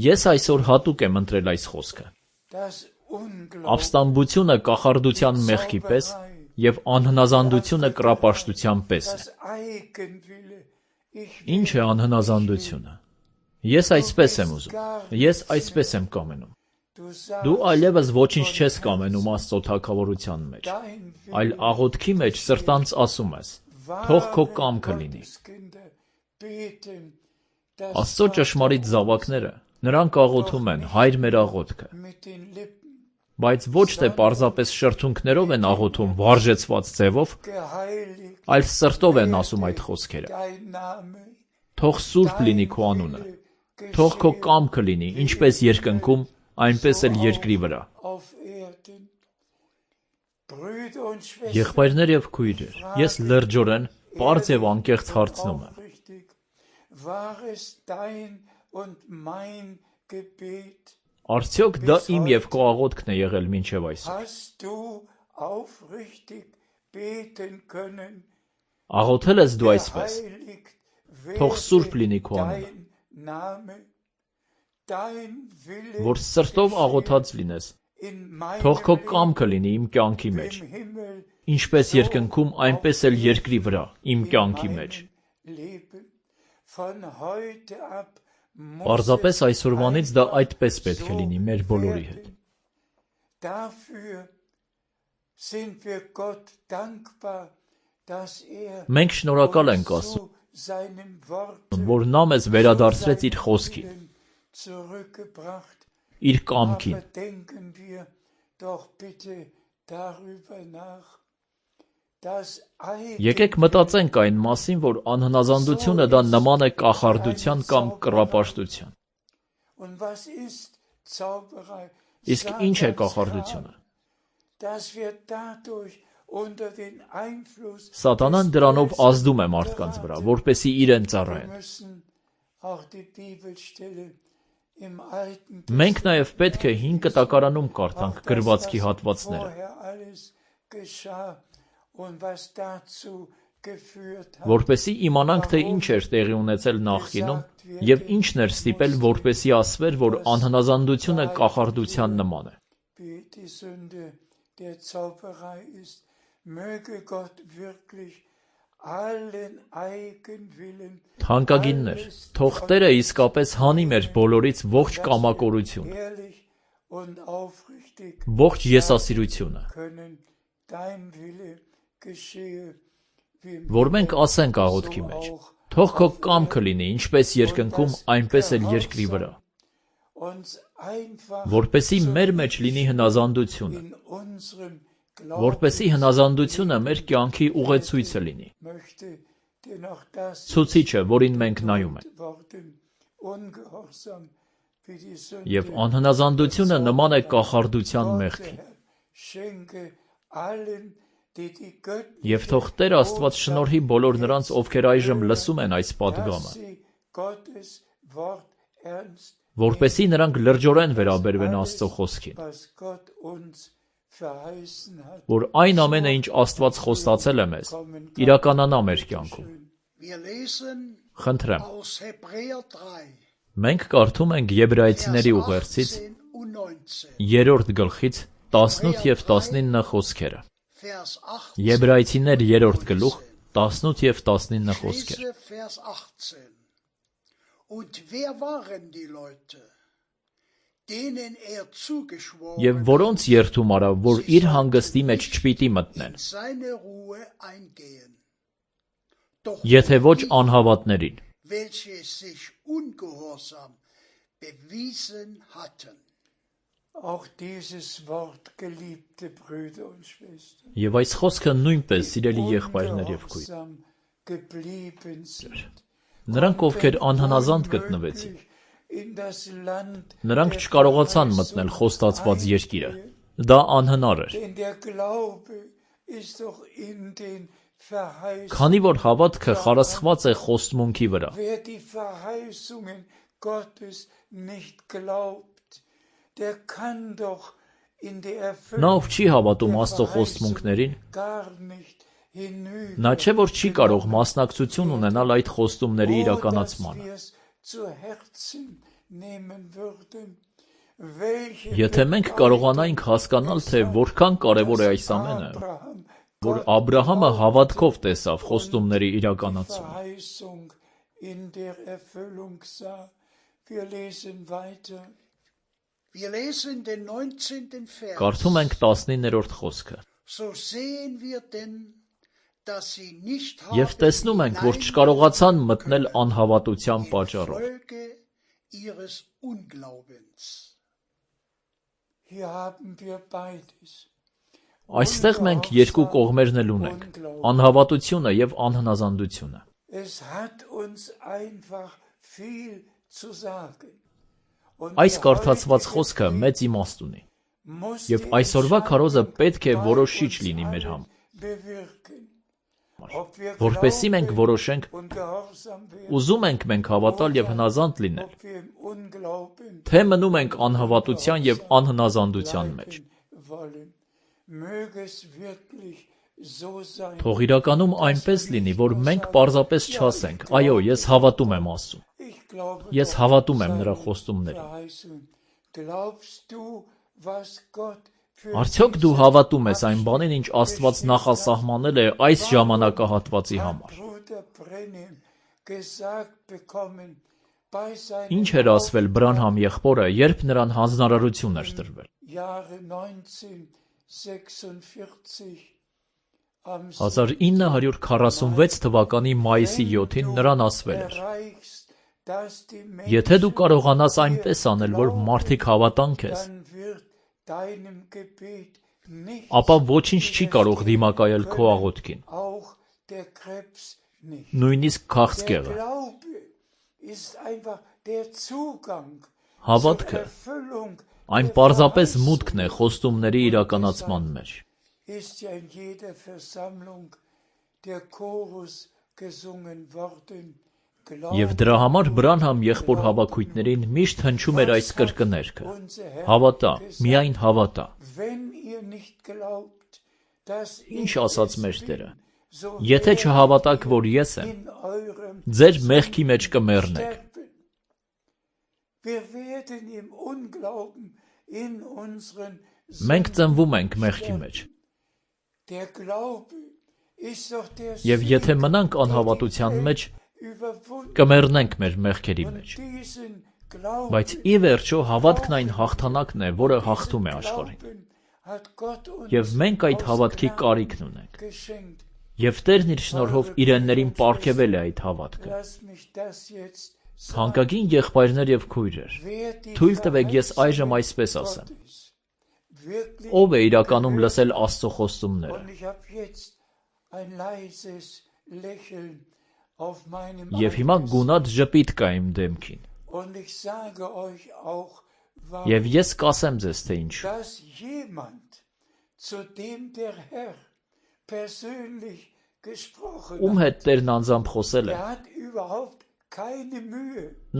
Ես այսօր հատուկ եմ ընտրել այս խոսքը։ Ապստամբությունը կախարդության մեղքի պես և անհնազանդությունը կռապաշտության պես է։ Ինչ է անհնազանդությունը։ Ես այսպես եմ ուզում, ես այսպես եմ կամենում։ Դու այլևս ոչինչ չես կամենում Աստծո թագավորության մեջ, այլ աղոթքի մեջ սրտանց ասում ես. թող քո կամքը լինի։ Աստծո ճշմարիտ զավակները, նրանք աղոթում են Հայր մեր աղոթքը, բայց ոչ թե պարզապես շրթունքներով են աղոթում վարժեցված ձևով, այլ սրտով են ասում այդ խոսքերը։ Թող սուրբ լինի քո անունը, թող քո կամքը լինի, ինչպես երկնքում, այնպես էլ երկրի վրա։ Եղբայրներ և քույրեր, ես լրջորեն, պարզ և անկեղծ հարցնում եմ. արդյոք դա իմ և քո աղոթքն է եղել մինչև այսօր։ Աղոթել ես դու այսպես. թող սուրբ լինի քո անունը, որ սրտով աղոթած լինես, թող քո կամքը լինի իմ կյանքի մեջ, ինչպես երկնքում, այնպես էլ երկրի վրա, իմ կյանքի մեջ։ Պարզապես այսօրվանից դա այդպես պետք է լինի մեր բոլորի հետ։ Մենք շնորհակալ ենք Աստծուն, որ նա մեզ վերադարձրեց իր խոսքին, իր կամքին։ Եկեք մտածենք այն մասին, որ անհնազանդությունը դա նման է կախարդության կամ կռապաշտության։ Իսկ ինչ է կախարդությունը։ Սատանան դրանով ազդում է մարդկանց վրա, որպեսզի իրեն ծառայեն։ Մենք նաև պետք է Հին Կտակարանում կարդանք գրվածքի հատվածները, որպեսզի իմանանք, թե ինչ էր տեղի ունեցել նախկինում և ինչն էր ստիպել, որպեսզի ասվեր, որ անհնազանդությունը կախարդության նման է։ Թանկագիններ, թող Տերը իսկապես հանի մեր բոլորից ողջ կամակորությունը, ողջ եսասիրությունը, որ մենք ասենք աղոթքի մեջ. թող քո կամքը լինի, ինչպես երկնքում, այնպես էլ երկրի վրա, որպեսզի մեր մեջ լինի հնազանդությունը, որպեսզի հնազանդությունը մեր կյանքի ուղեցույցը լինի, ցուցիչը, որին մենք նայում ենք։ Եվ անհնազանդությունը նման է կախարդության մեղքին։ Եվ թող Տեր Աստված շնորհի բոլոր նրանց, ովքեր այժմ լսում են այս պատգամը, որպեսզի նրանք լրջորեն վերաբերվեն Աստծո խոսքին, որ այն ամենը, ինչ Աստված խոստացել է մեզ, իրականանա մեր կյանքում։ Խնդրեմ, Մենք կարդում ենք Եբրայեցիների ուղերձից 3-րդ գլխից 18 եւ 19 խոսքերը։ Եբրայեցիներ 3-րդ գլուխ 18 եւ 19 խոսքեր։ Եվ որոնց երթում արավ, որ իր հանգստի մեջ չպիտի մտնեն, եթե ոչ անհավատներին, Auch dieses Wort, geliebte Brüder und Schwestern, եւ այս խոսքը նույնպես սիրելի եղբայրներ եւ քույր։ ungehorsam geblieben sind, Նրանք, ովքեր անհնազանդ գտնվեցին, in das Land, նրանք չկարողացան մտնել խոստացված երկիրը։ Դա անհնար էր, denn der Glaube ist doch in den Verheißungen. քանի որ հավատքը խարսխված է խոստմունքի վրա։ Wer die Verheißungen Gottes nicht glaubt, der kann doch in die Նա Erfüllung ով չի հավատում Աստծո խոստմունքներին, gar nicht hinüber. նա չէ որ չի կարող մասնակցություն ունենալ այդ խոստումների իրականացմանը։ Zu Herzen nehmen würden, welche Եթե մենք կարողանայինք հասկանալ, թե որքան կարևոր է այս ամենը, Abraham որ Աբրահամը հավատքով տեսավ խոստումների իրականացումը։ Verheißung in der Erfüllung sah. Wir lesen weiter. Wir lesen den 19. Vers. Կարդում ենք 19-րդ խոսքը։ So sehen wir denn, dass sie nicht Եվ տեսնում ենք, որ չկարողացան մտնել անհավատության պատճառով։ Folge ihres Unglaubens. Hier haben wir beides. Այստեղ մենք երկու կողմերն էլ ունենք՝ անհավատությունը եւ անհնազանդությունը։ Es hat uns einfach viel zu sagen. Այս կարդացված խոսքը մեծ իմաստ ունի։ Եվ այսօրվա քարոզը պետք է որոշիչ լինի մեր համար։ Որպեսզի մենք որոշենք, ուզում ենք մենք հավատալ եւ հնազանդ լինել, թե մնում ենք անհավատության եւ անհնազանդության մեջ։ Թող իրականում այնպես լինի, որ մենք պարզապես չասենք, այո, ես հավատում եմ Աստծուն։ Ես հավատում եմ նրա խոստումներին։ Արդյոք դու հավատում ես այն բանին, ինչ Աստված նախասահմանել է այս ժամանակահատվածի համար։ Ինչ էր ասվել Բրանհամ եղբորը, երբ նրան հանձնարարություն էր տրվել։ 1946 թվականի մայիսի 7-ին նրան ասվել էր. Եթե դու կարողանաս այնպես անել, որ մարդիկ հավատան քեզ, ապա ոչինչ չի կարող դիմակայել քո աղոթքին, նույնիսկ քաղցկեղը։ Հավատքը այն պարզապես մուտքն է խոստումների իրականացման մեջ։ Եվ դրա համար Բրանհամ եղբոր հավաքույտներին միշտ հնչում էր այս կրկներքը. հավատա, միայն հավատա։ Ինչ ասաց մեր Տերը. եթե չհավատաք, որ ես եմ, ձեր մեղքի մեջ կմեռնեք։ Մենք ծնվում ենք մեղքի մեջ։ Եվ եթե մնանք անհավատության մեջ, կմեռնենք մեր մեղքերի մեջ։ Բայց ի վերջո հավատքն այն հաղթանակն է, որը հաղթում է աշխարհին։ Եվ մենք այդ հավատքի կարիքն ունենք։ Եվ Տերն իր շնորհով իրեններին պարգևել է այդ հավատքը։ Թանկագին եղբայրներ եւ քույրեր, թույլ տվեք ես այժմ այսպես ասեմ. ով է իրականում լսել Աստծո խոստումները։ Եվ հիմա գունատ ժպիտ կա իմ դեմքին։ Եվ ես կասեմ ձեզ, թե ինչու։ Ում հետ Տերն անձամբ խոսել է,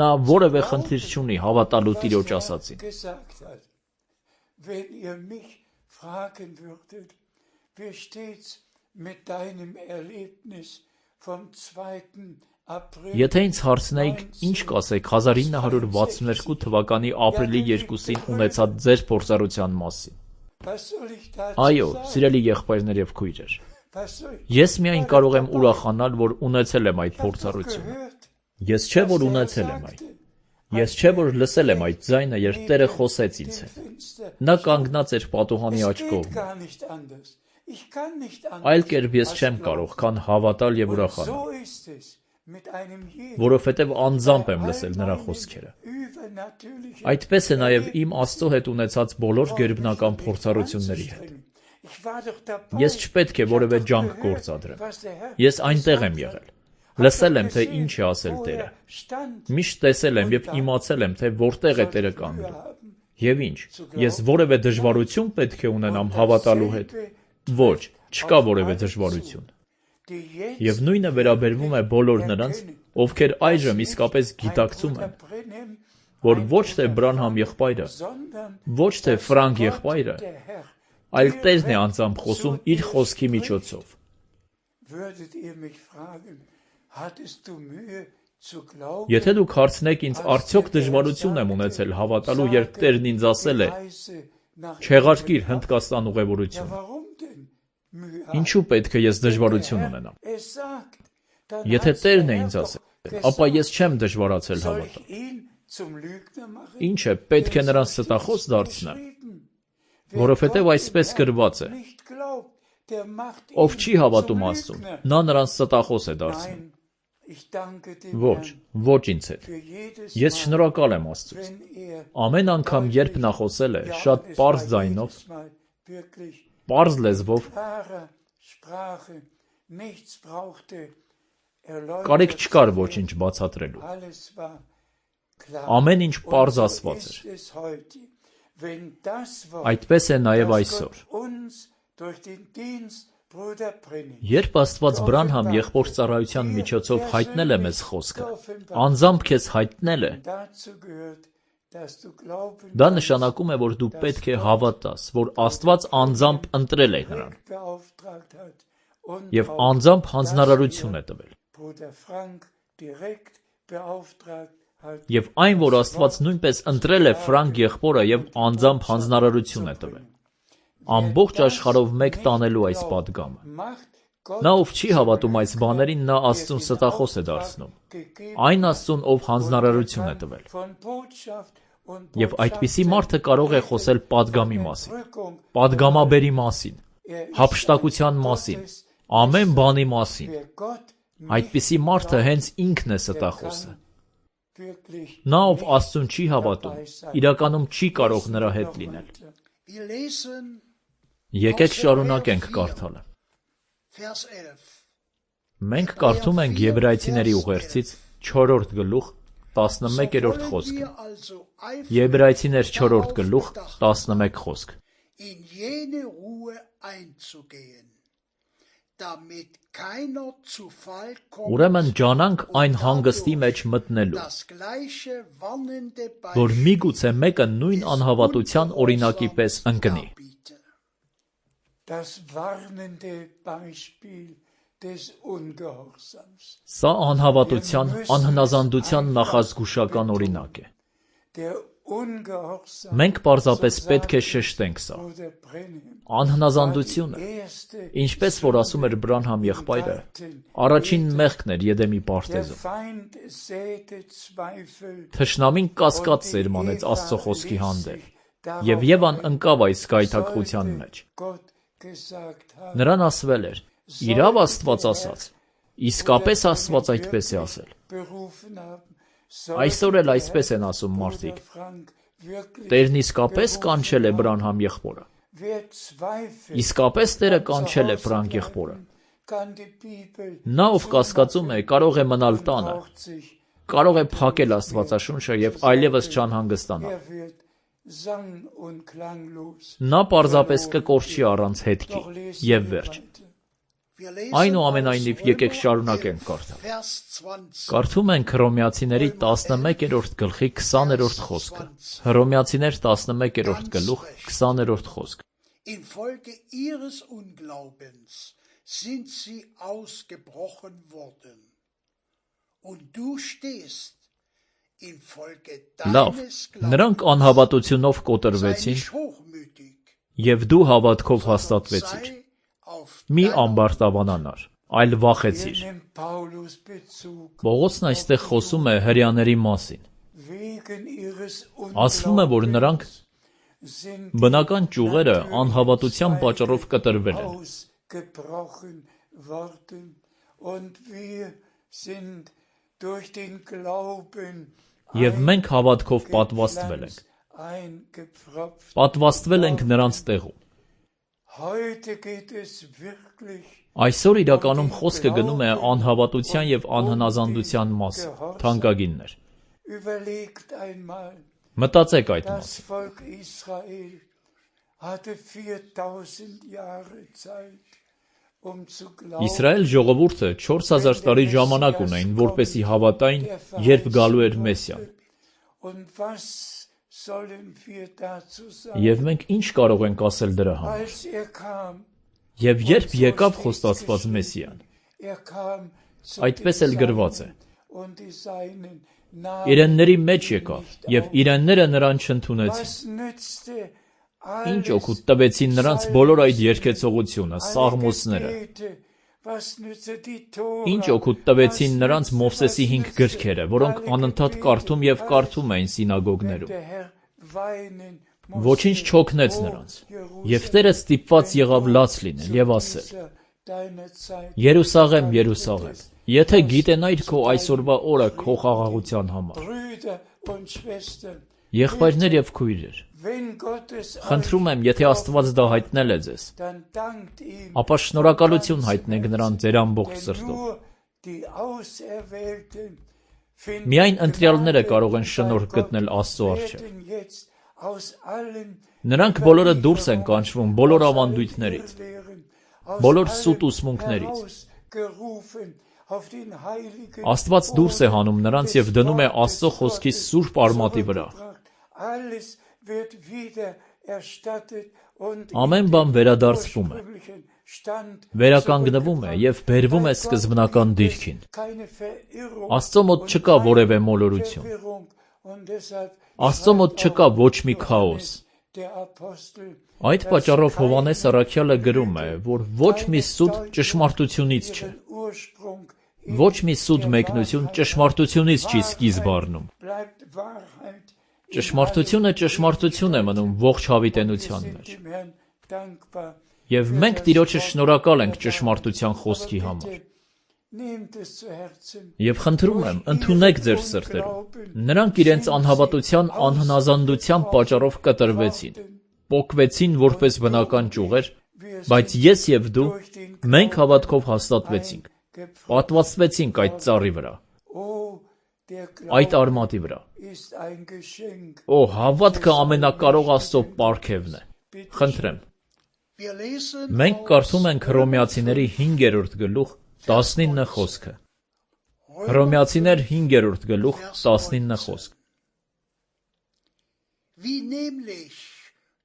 նա որևէ խնդիր չունի հավատալու Տիրոջ ասածին։ Wenn ihr mich fragen würdet, wie steht's mit deinem Erlebnis vom 2. Եթե ինձ հարցնեիք, ինչ կասեք 1962 թվականի ապրիլի 2-ին ունեցած ձեր փորձառության մասին։ Այո, սիրելի եղբայրներ եւ քույրեր, ես միայն կարող եմ ուրախանալ, որ ունեցել եմ այդ փորձառությունը։ Ես չէ, որ ունեցել եմ այդ։ Ես չէ, որ լսել եմ այդ ձայնը, երբ Տերը խոսեց ինձ հետ։ Նա կանգնած էր պատուհանի աջ կողմում։ Այլ կերպ ես չեմ կարող, քան հավատալ եւ ուրախանալ, որովհետեւ անձամբ եմ լսել նրա խոսքերը։ Այդպես է նաեւ իմ Աստծո հետ ունեցած բոլոր գերբնական փորձառությունների հետ։ Ես չպետք է որևէ ջանք գործադրեմ։ Ես այնտեղ եմ եղել։ Լսել եմ, թե ինչ է ասել Տերը։ Միշտ տեսել եմ եւ իմացել եմ, թե որտեղ է Տերը կանգնում։ Եվ ինչ, ես որևէ դժվարություն պետք է ունենամ հավատալու հետ։ Ոչ, չկա որևէ դժվարություն։ Եվ նույնը վերաբերվում է բոլոր նրանց, ովքեր այժմ իսկապես գիտակցում են, որ ոչ թե Բրանհամ եղբայրը, ոչ թե Ֆրանկ եղբայրը, այլ Տերն է անձամբ խոսում իր խոսքի միջոցով։ Եթե դուք հարցնեք ինձ, արդյոք դժվարություն եմ ունեցել հավատալու, երբ Տերն ինձ ասել է. «Չեղարկիր Հնդկաստան ուղևորությունը»։ Ինչու պետք է ես դժվարություն ունենամ։ Եթե Տերն է ինձ ասել, ապա ես չեմ դժվարացել հավատալ։ Ինչ է, պետք է նրան ստախոս դարձնեմ, որովհետև այսպես գրված է. ով չի հավատում Աստծուն, նա նրան ստախոս է դարձնում։ Ոչ ինձ հետ։ Ես շնորհակալ եմ Աստծուց։ Ամեն անգամ, երբ նա խոսել է, շատ պարզ ձայնով, պարզ լեզվով, կարիք չկար ոչինչ բացատրելու։ Ամեն ինչ պարզ ասված էր։ Այդպես է նաև այսօր։ Երբ Աստված Բրանհամ եղբոր ծառայության միջոցով հայտնել է մեզ խոսքը, անձամբ քեզ հայտնել է, դա նշանակում է, որ դու պետք է հավատաս, որ Աստված անձամբ ընտրել է նրան եւ անձամբ հանձնարարություն է տվել։ Եվ այն, որ Աստված նույնպես ընտրել է Ֆրանկ եղբորը եւ անձամբ հանձնարարություն է տվել։ Ամբողջ աշխարհով մեկ տանելու այս պատգամը։ Նա, ով չի հավատում այս բաներին, նա Աստծուն ստախոս է դարձնում։ Այն Աստծուն, ով հանձնարարություն է տվել։ Եվ այդպիսի մարդը կարող է խոսել պատգամի մասին, պատգամաբերի մասին, հափշտակության մասին, ամեն բանի մասին։ Այդպիսի մարդը հենց ինքն է ստախոսը։ Նա, ով Աստծուն չի հավատում, իրականում չի կարող նրա հետ լինել։ Եկեք շարունակենք կարդալը։ Մենք կարդում ենք Եբրայեցիների ուղերձից 4-րդ գլուխ 11-րդ խոսքը։ Եբրայեցիներ 4-րդ գլուխ 11 խոսք։ Ուրեմն ջանանք այն հանգստի մեջ մտնելու, որ միգուցե մեկը նույն անհավատության օրինակի պես ընկնի։ Սա անհավատության, անհնազանդության նախազգուշական օրինակ է։ Մենք պարզապես պետք է շեշտենք սա։ Անհնազանդությունը, ինչպես որ ասում էր Բրանհամ եղբայրը, առաջին մեղքն էր Եդեմի պարտեզում։ Թշնամին կասկած սերմանեց Աստծո խոսքի հանդեպ, եւ Եվան ընկավ այս գայթակղության մեջ։ Նրան ասվել էր. «Իրավ Աստված ասաց»։ Իսկապես Աստված այդպես է ասել։ Այսօր էլ այսպես են ասում մարդիկ։ Տերն իսկապես կանչել է Բրանհամ եղբորը։ Իսկապես Տերը կանչել է Ֆրանկ եղբորը։ Նա, ով կասկածում է, կարող է մնալ տանը, կարող է փակել Աստվածաշունչը եւ այլևս չանհանգստանալ։ Նա պարզապես կկորչի առանց հետքի եւ վերջ։ Այնուամենայնիվ եկեք շարունակենք կարդալ։ Կարդում ենք Հռոմեացիների 11-րդ գլխի 20-րդ խոսքը։ Հռոմեացիներ 11-րդ գլուխ 20-րդ խոսք։ Infolge ihres Unglaubens sind sie ausgebrochen worden. und du stehst infolge Լավ, deines նրանք Glaubens, անհավատությունով sei կոտրվեցին nicht hochmütig, եւ դու հավատքով հաստատվեցիր։ sei auf Մի deiner ամբարտավանանար, այլ վախեցիր։ Hier nimmt Paulus Bezug Պողոսն այստեղ խոսում է հրեաների մասին։ wegen ihres Ասվում է, որ նրանք Unglaubens sind բնական ճյուղերը անհավատության պատճառով կտրվել են։ ausgebrochen worden und wir sind durch den Glauben Եվ մենք հավատքով պատվաստվել ենք։ eingepfropft. Պատվաստվել ենք նրանց տեղում։ Heute geht es wirklich Այսօր իրականում խոսքը գնում է անհավատության եւ անհնազանդության մասին, թանկագիններ։ überlegt einmal, Մտածեք այդ das մասին։ Volk Israel hatte 4000 Jahre Zeit, zu glauben, Իսրայել ժողովուրդը 4000 տարի ժամանակ ունեին, որպեսզի հավատային, երբ գալու էր Մեսիան։ und was sollen wir dazu sagen? Եվ մենք ինչ կարող ենք ասել դրա համար։ Als kam, Եվ երբ եկավ խոստացված Մեսիան, kam zu այդպես էլ գրված է։ und die Seinen Իրենների մեջ եկավ, եւ իրենները նրան չընդունեցին։ Was nützte Ինչ օգուտ տվեցին նրանց բոլոր այդ երկեցողությունը, սաղմոսները։ was nützte die Tora? Ինչ օգուտ տվեցին նրանց Մովսեսի 5 գրքերը, որոնք անընդհատ կարդում եւ կարդում էին սինագոգներում։ Der Herr weinen Ոչինչ չօգնեց նրանց։ Եւ Տերը ստիպված եղավ լաց լինել եւ ասել. deine Zeit. Երուսաղեմ, Երուսաղեմ, եթե գիտենայիր քո այսօրվա օրը քո խաղաղության համար։ Brüder und Schwestern, Եղբայրներ եւ քույրեր, wenn Gott es խնդրում եմ, եթե Աստված դա հայտնել է ձեզ, dann dankt ihm, ապա շնորհակալություն հայտնեք նրան ձեր ամբողջ denn սրտով։ nur die Auserwählten Միայն ընտրյալները կարող են շնորհ գտնել Աստծո առջև։ werden jetzt aus allen Նրանք բոլորը դուրս են կանչվում բոլոր ավանդույթներից, բոլոր սուտ ուսմունքներից։ herausgerufen auf den heiligen Աստված դուրս է հանում նրանց եւ դնում է Աստծո խոսքի սուրբ արմատի վրա։ Alles wird wieder erstattet und Ամեն բան վերադարձվում է, վերականգնվում է եւ բերվում է սկզբնական դիրքին։ keine Verirrung Աստծո մոտ չկա որևէ մոլորություն։ Verwirrung und deshalb Աստծո մոտ չկա ոչ մի քաոս։ der Apostel Այդ պատճառով Հովհաննես առաքյալը գրում է, որ ոչ մի սուտ ճշմարտությունից չէ։ Ursprung Ոչ մի սուտ մեկնություն ճշմարտությունից չի սկիզբ առնում։ bleibt Wahrheit Ճշմարտությունը ճշմարտություն է մնում ողջ հավիտենության մեջ։ dem Herrn dankbar. Եվ մենք Տիրոջը շնորհակալ ենք ճշմարտության խոսքի համար։ Nehmt es zu Herzen. Եվ խնդրում եմ, ընդունեք ձեր սրտերում։ Նրանք իրենց անհավատության անհնազանդության պատճառով կտրվեցին, պոկվեցին որպես բնական ճյուղեր, բայց ես եւ դու մենք հավատքով հաստատվեցինք, պատվաստվեցինք այդ ծառի վրա, Oh, der այդ Glaube արմատի վրա։ ist ein Geschenk. Օ, հավատքը ամենակարող Աստծո պարգևն է։ Խնդրեմ, Wir lesen մենք aus կարդում ենք Հռոմեացիների 5-րդ գլուխ 19 խոսքը։ Հռոմեացիներ 5-րդ գլուխ 19 խոսք։ wie nämlich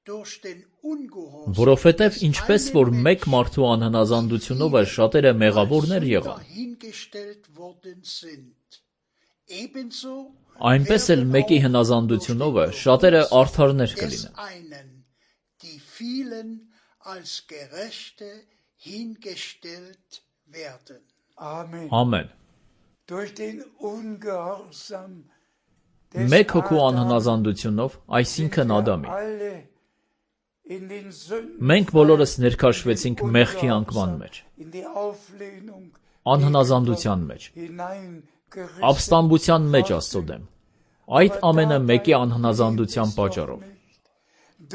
durch den Ungehorsam Որովհետև ինչպես որ մեկ մարդու անհնազանդությունով է շատերը մեղավորներ եղան, dahingestellt worden sind. Ebenso այնպես էլ մեկի հնազանդությունով է շատերը արդարներ des կլինեն։ einen, die vielen als Gerechte hingestellt werden. Amen. Ամեն։ Durch den Ungehorsam Մեկ հոգու անհնազանդությունով, այսինքն Ադամի, alle in den Sünden մենք բոլորս ներքաշվեցինք մեղքի անկման մեջ, in die Auflehnung անհնազանդության մեջ, hineingerissen. ապստամբության մեջ Աստծո դեմ։ Այդ ամենը մեկի անհնազանդության պատճառով։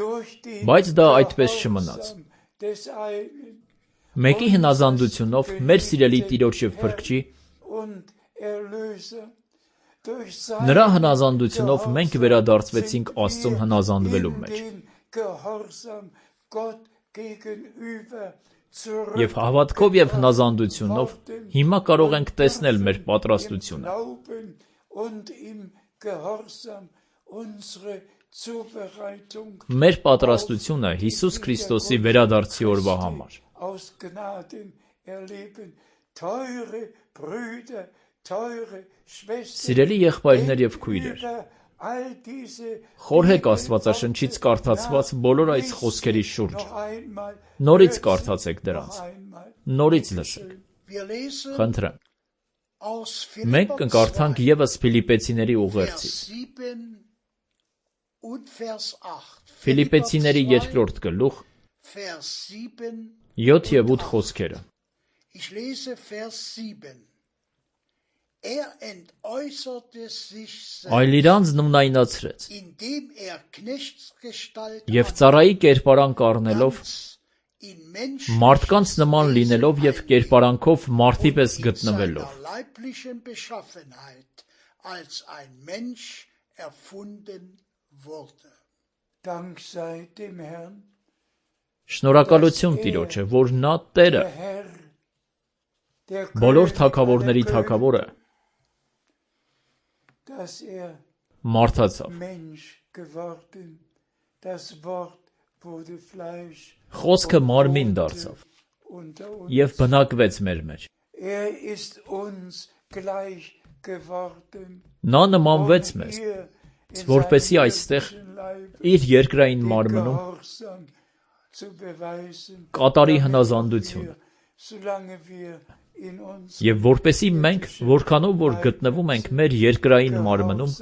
Durch den Բայց դա այդպես չմնաց։ Gehorsam des einen Մեկի հնազանդությունով մեր սիրելի Տիրոջ եւ Փրկչի und Erlöser. Durch նրա seinen հնազանդությունով մենք վերադարձվեցինք Աստծուն հնազանդվելու մեջ։ den Gehorsam Gott gegenüber Եվ հավատքով եւ հնազանդությունով հիմա կարող ենք տեսնել մեր պատրաստությունը։ Glauben und im Gehorsam unsere Zubereitung Մեր պատրաստությունը Հիսուս Քրիստոսի վերադարձի օրվա համար։ aus Gnaden erleben. Teure Brüder, Սիրելի եղբայրներ եւ քույրեր, խորհեք Աստվածաշնչից կարդացված բոլոր այս խոսքերի շուրջը, նորից կարդացեք դրանց, նորից լսեք, խնդրեմ, մենք կկարդանք ևս Ֆիլիպեցիների ուղերձից, Ֆիլիպեցիների 2-րդ գլուխ, 7 եւ 8 խոսքերը, այլ իրանց նույնայնացրեց, եւ ծառայի կերպարանք առնելով, մարդկանց նման լինելով եւ կերպարանքով մարդի պես գտնվելով, շնորհակալություն Տիրոջը, որ նա Տերը, բոլոր թագավորների թագավորը, մարդացավ, խոսքը մարմին դարձավ եւ բնակվեց մեր մեջ, նա նմանվեց մեզ, որպեսզի այստեղ իր երկրային մարմնում կատարի հնազանդությունը եւ որպեսզի մենք, որքանով որ գտնվում ենք մեր երկրային մարմնում,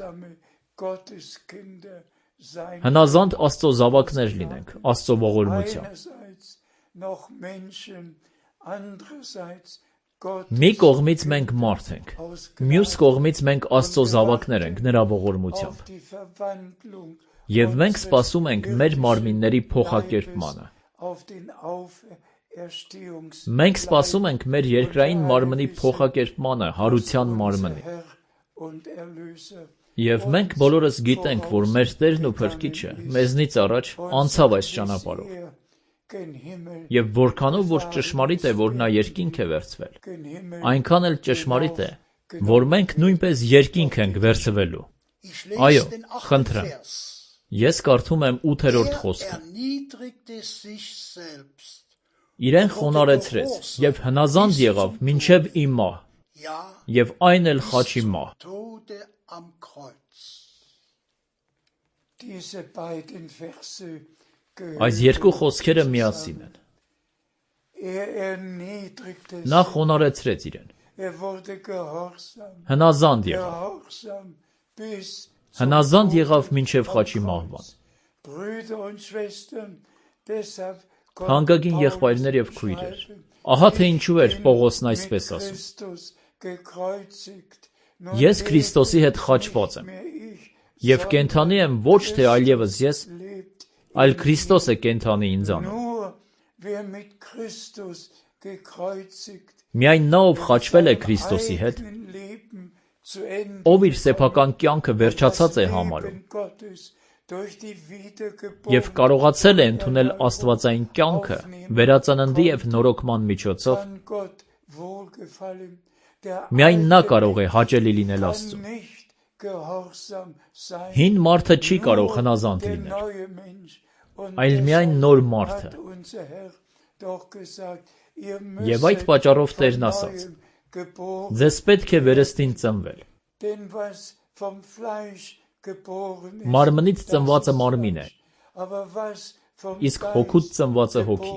հնազանդ Աստծո զավակներ լինենք, Աստծո ողորմությամբ։ Մի կողմից մենք մարդ ենք, մյուս կողմից մենք Աստծո զավակներ ենք նրա ողորմությամբ։ Եվ մենք սպասում ենք մեր մարմինների փոխակերպմանը։ Մենք սպասում ենք մեր երկրային մարմնի փոխակերպմանը, հարության մարմնի։ Եվ մենք բոլորս գիտենք, որ մեր Տերն ու Փրկիչը մեզնից առաջ անցավ այս ճանապարհով։ Եվ որքանով որ ճշմարիտ է, որ նա երկինք է վերցվել, այնքան էլ ճշմարիտ է, որ մենք նույնպես երկինք ենք վերցվելու։ Այո, խնդրեմ։ Ես կարդում եմ 8-րդ խոսքը։ Իրեն խոնարհեցրեց եւ հնազանդ եղավ մինչև ի մահ, եւ այն էլ խաչի մահ։ Այս երկու խոսքերը միասին են։ Նա խոնարհեցրեց իրեն, հնազանդ եղավ, հնազանդ եղավ մինչև խաչի մահվան։ Հանգագին եղբայրներ եւ քույրեր, ահա թե ինչու էր Պողոսն այսպես ասում. Ես Քրիստոսի հետ խաչված եմ, եւ կենդանի եմ ոչ թե այլևս ես, այլ Քրիստոս է կենդանի ինձանով։ Միայն նա, ով խաչվել է Քրիստոսի հետ, ով իր սեփական կյանքը վերջացած է համարում, եւ կարողացել է ընդունել աստվածային կյանքը վերածննդի եւ նորոգման միջոցով, միայն նա կարող է հաճելի լինել Աստծուն։ Հին մարդը չի կարող հնազանդ լինել, այլ միայն նոր մարդը։ Եվ այդ պատճառով Տերն ասաց. ձեզ պետք է վերստին ծնվել։ Մարմնից ծնվածը մարմին է, իսկ հոգուց ծնվածը հոգի։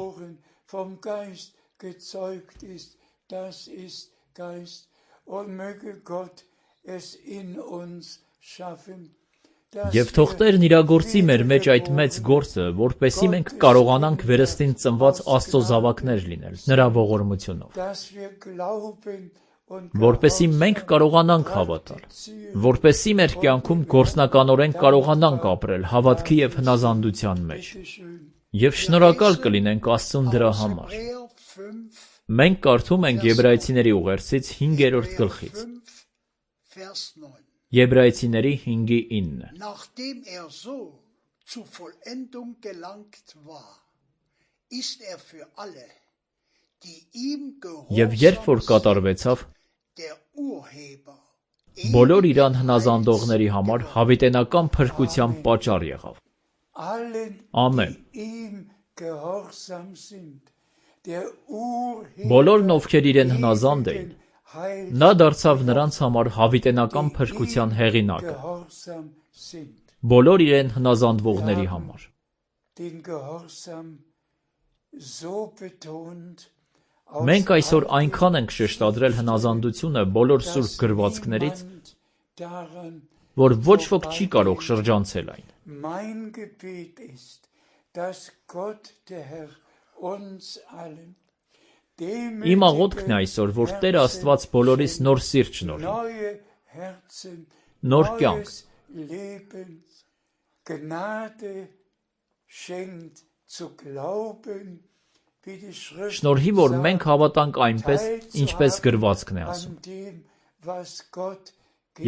Եվ թող Տերն իրագործի մեր մեջ այդ մեծ գործը, որպեսզի մենք կարողանանք վերստին ծնված Աստծո զավակներ լինել, նրա ողորմությունով, որպեսզի մենք կարողանանք հավատալ, որպեսզի մեր կյանքում գործնականորեն կարողանանք ապրել հավատքի եւ հնազանդության մեջ։ Եվ շնորհակալ կլինենք Աստծուն դրա համար։ Մենք կարդում ենք Եբրայեցիների ուղերձից 5-րդ գլխից։ Եբրայեցիների 5:9։ Եվ երբ որ կատարվեցավ, բոլոր իրան հնազանդողների համար հավիտենական փրկության պատճառ եղավ։ Ամեն։ Բոլորն, ովքեր իրեն հնազանդ էին, Նա դարձավ նրանց համար հավիտենական փրկության հեղինակը, բոլոր իրեն հնազանդվողների համար։ Մենք այսօր այնքան ենք շեշտադրել հնազանդությունը բոլոր սուրբ գրվածքներից, որ ոչ ոք չի կարող շրջանցել այն։ Իմ աղոթքն է այսօր, որ Տեր Աստված բոլորիս նոր սիրտ շնորհի, նոր կյանք, շնորհի, որ մենք հավատանք այնպես, ինչպես գրվածքն է ասում,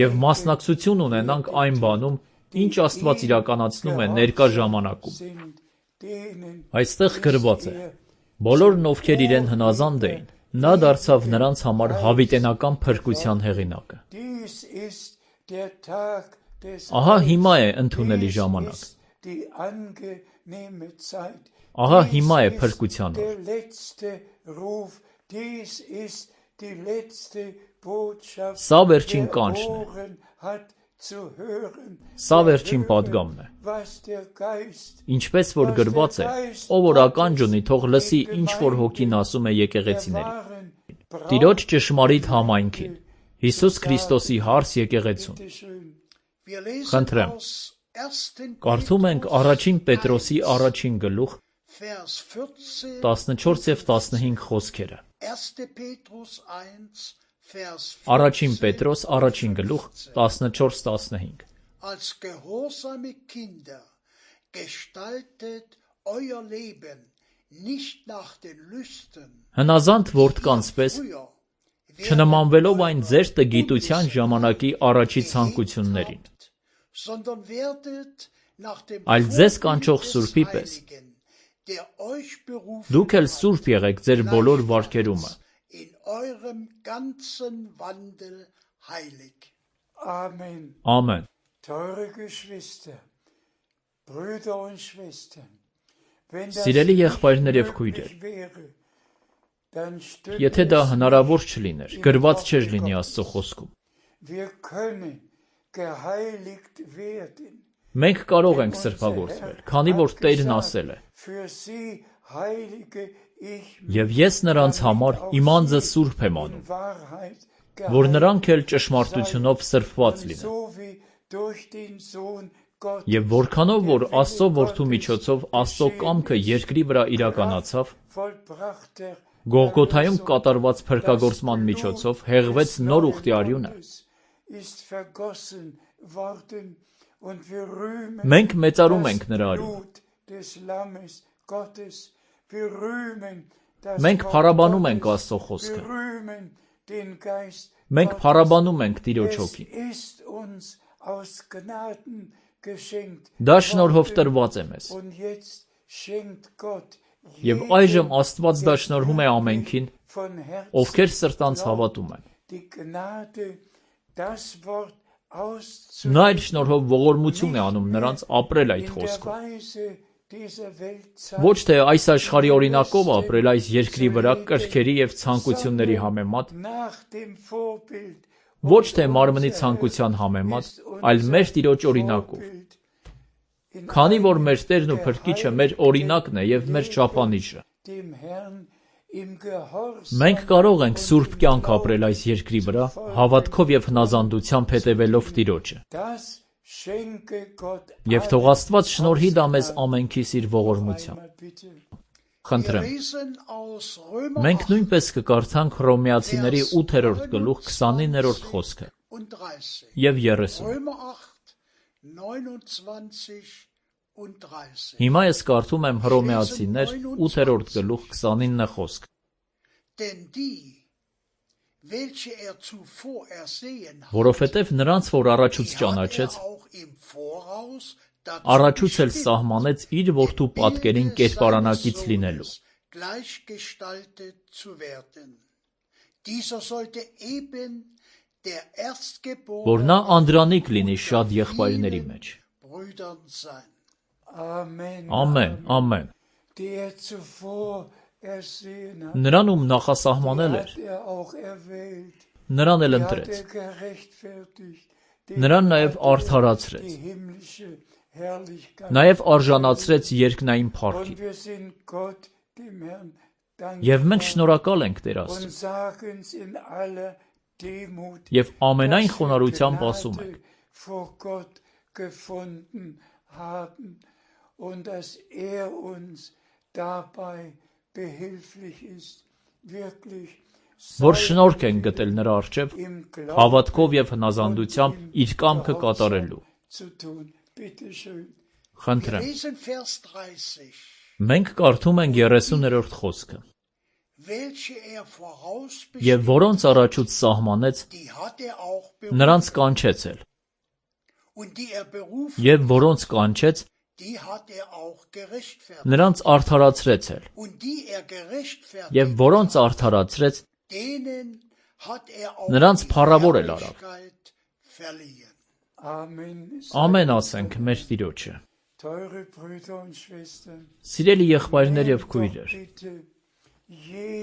և մասնակցություն ունենանք այն բանում, ինչ Աստված իրականացնում է ներկա ժամանակում։ Այստեղ գրված է. բոլորն ովքեր իրեն հնազանդ էին, նա դարձավ նրանց համար հավիտենական փրկության հեղինակը։ Ահա հիմա է ընդունելի ժամանակ։ Ահա հիմա է փրկության օր։ Սա վերջին կանչն է։ Սա վերջին պատգամն է։ Ինչպես որ գրված է, ով որ ականջ ունի, թող լսի, ինչ որ Հոգին ասում է եկեղեցիներին։ Տիրոջ ճշմարիտ համայնքին, Հիսուս Քրիստոսի հարս եկեղեցուն։ Խնդրեմ, կարդում ենք առաջին Պետրոսի առաջին գլուխ 14 և 15 խոսքերը։ Առաջին Պետրոս առաջին գլուխ 14-15 Als gehorsame Kinder gestaltet euer Leben nicht nach den Lüsten, Հնազանդ որդկանց պես, չնմանվելով այն ձեր տգիտության ժամանակի առաջի ցանկություններին, sondern werdet nach dem այլ ձեզ կանչող Vorbild des Սուրբի պես, Heiligen, der euch berufen դուք էլ սուրբ եղեք ձեր բոլոր վարքերումը, in eurem ganzen Wandel heilig. Amen. Ամեն։ Teure Geschwister, Brüder und Schwestern, wenn das Սիրելի եղբայրներ և քույրեր, möglich wäre, dann stünde եթե դա es հնարավոր չլիներ, գրված չէր լինի Աստծո խոսքում։ Wir können geheiligt werden. Մենք կարող ենք սրբագործվել, քանի որ Տերն ասել է. Für sie heilige ich «Եվ ես նրանց համար իմ անձը սուրբ եմ անում, Wahrheit որ նրանք էլ ճշմարտությունով սրբված լինեն»։ so wie durch den Sohn Gottes Եվ որքանով որ Աստծո որդու միջոցով Աստծո կամքը երկրի վրա իրականացավ, vollbrachter Գողգոթայում կատարված փրկագործման միջոցով հեղվեց նոր ուխտի արյունը։ ist vergossen worden und wir rühmen Մենք մեծարում das ենք նրա արյունը։ Blut des Lammes Gottes. Wir rühmen das Մենք Wort փառաբանում ենք Gottes. Աստծո խոսքը։ Wir rühmen den Geist Մենք Gottes. փառաբանում ենք Տիրոջ Es հոգին։ ist uns aus Gnaden geschenkt Դա շնորհով տրված է մեզ։ und jetzt schenkt Gott Եվ այժմ Աստված դա շնորհում է ամենքին, von Herzen ովքեր սրտանց հավատում են։ die Gnade, das Wort Նա իր շնորհով ողորմություն է անում նրանց ապրել այդ in der խոսքով։ Weise dieser Welt Ոչ թե այս աշխարհի օրինակով ապրել այս երկրի վրա կրքերի եւ ցանկությունների համեմատ, nach dem Vorbild ոչ թե մարմնի ցանկության համեմատ, այլ մեր Տիրոջ օրինակով։ Քանի որ մեր Տերն ու Փրկիչը մեր օրինակն է եւ մեր չափանիշը։ dem Herrn im Gehorsam Մենք կարող ենք սուրբ կյանք ապրել այս երկրի վրա, հավատքով եւ հնազանդությամբ հետևելով Տիրոջը։ das schenke Gott Եվ թող Աստված շնորհի դա մեզ ամենքիս իր ողորմությամբ։ einmal bitte. Խնդրեմ։ Lesen aus Römer Մենք 8 նույնպես կկարդանք Հռոմեացիների 8-րդ գլուխ 29-րդ խոսքը und 30. եւ 30։ Römer 8, 29 und 30. Հիմա ես կարդում եմ Հռոմեացիներ 8-րդ գլուխ 29 խոսք։ Denn die, welche zuvor ersehen hat, Որովհետև նրանց, որ առաջուց die ճանաչեց, hat auch im Voraus dazu առաջուց էլ bestimmt, սահմանեց իր որդու պատկերին կերպարանակից լինելու։ gleichgestaltet zu werden. Dieser sollte eben der Որ նա Erstgeborene անդրանիկ լինի շատ եղբայրների մեջ։ Brüdern sein. Amen. Ամեն, ամեն։ Der zuvor ersehen hat, Նրան ում նախասահմանել էր, hat auch erwählt. նրան էլ ընտրեց, նրան նաև արդարացրեց, նաև արժանացրեց երկնային փառքի։ Եվ մենք շնորհակալ ենք Տեր Աստծուն, և ամենայն խոնարհությամբ ասում ենք. und dass uns dabei behilflich ist, wirklich որ շնորհք են գտել նրա առջև հավատքով և հնազանդությամբ իր կամքը կատարելու։ Խնդրեմ։ Մենք կարդում ենք 30-րդ խոսքը. և որոնց առաջուց սահմանեց, նրանց կանչեց էլ, և որոնց կանչեց, նրանց արդարացրեց էլ, և որոնց արդարացրեց, նրանց փառավոր էլ արավ։ Ամեն ասենք մեր Տիրոջը։ Սիրելի եղբայրներ և քույրեր,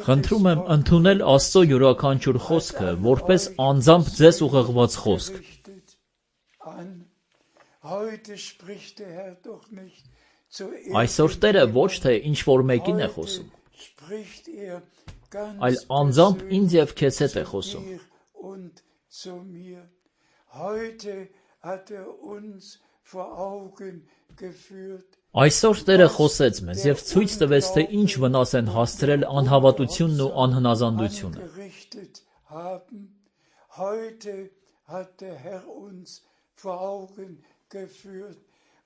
խնդրում եմ ընդունել Աստծո յուրաքանչյուր խոսքը որպես անձամբ ձեզ ուղղված խոսք։ Այսօր Տերը ոչ թե ինչ-որ մեկին է խոսում, այլ անձամբ ինձ և քեզ հետ է խոսում։ Այսօր Տերը խոսեց մեզ և ցույց տվեց, թե ինչ վնաս են հասցրել անհավատությունն ու անհնազանդությունը։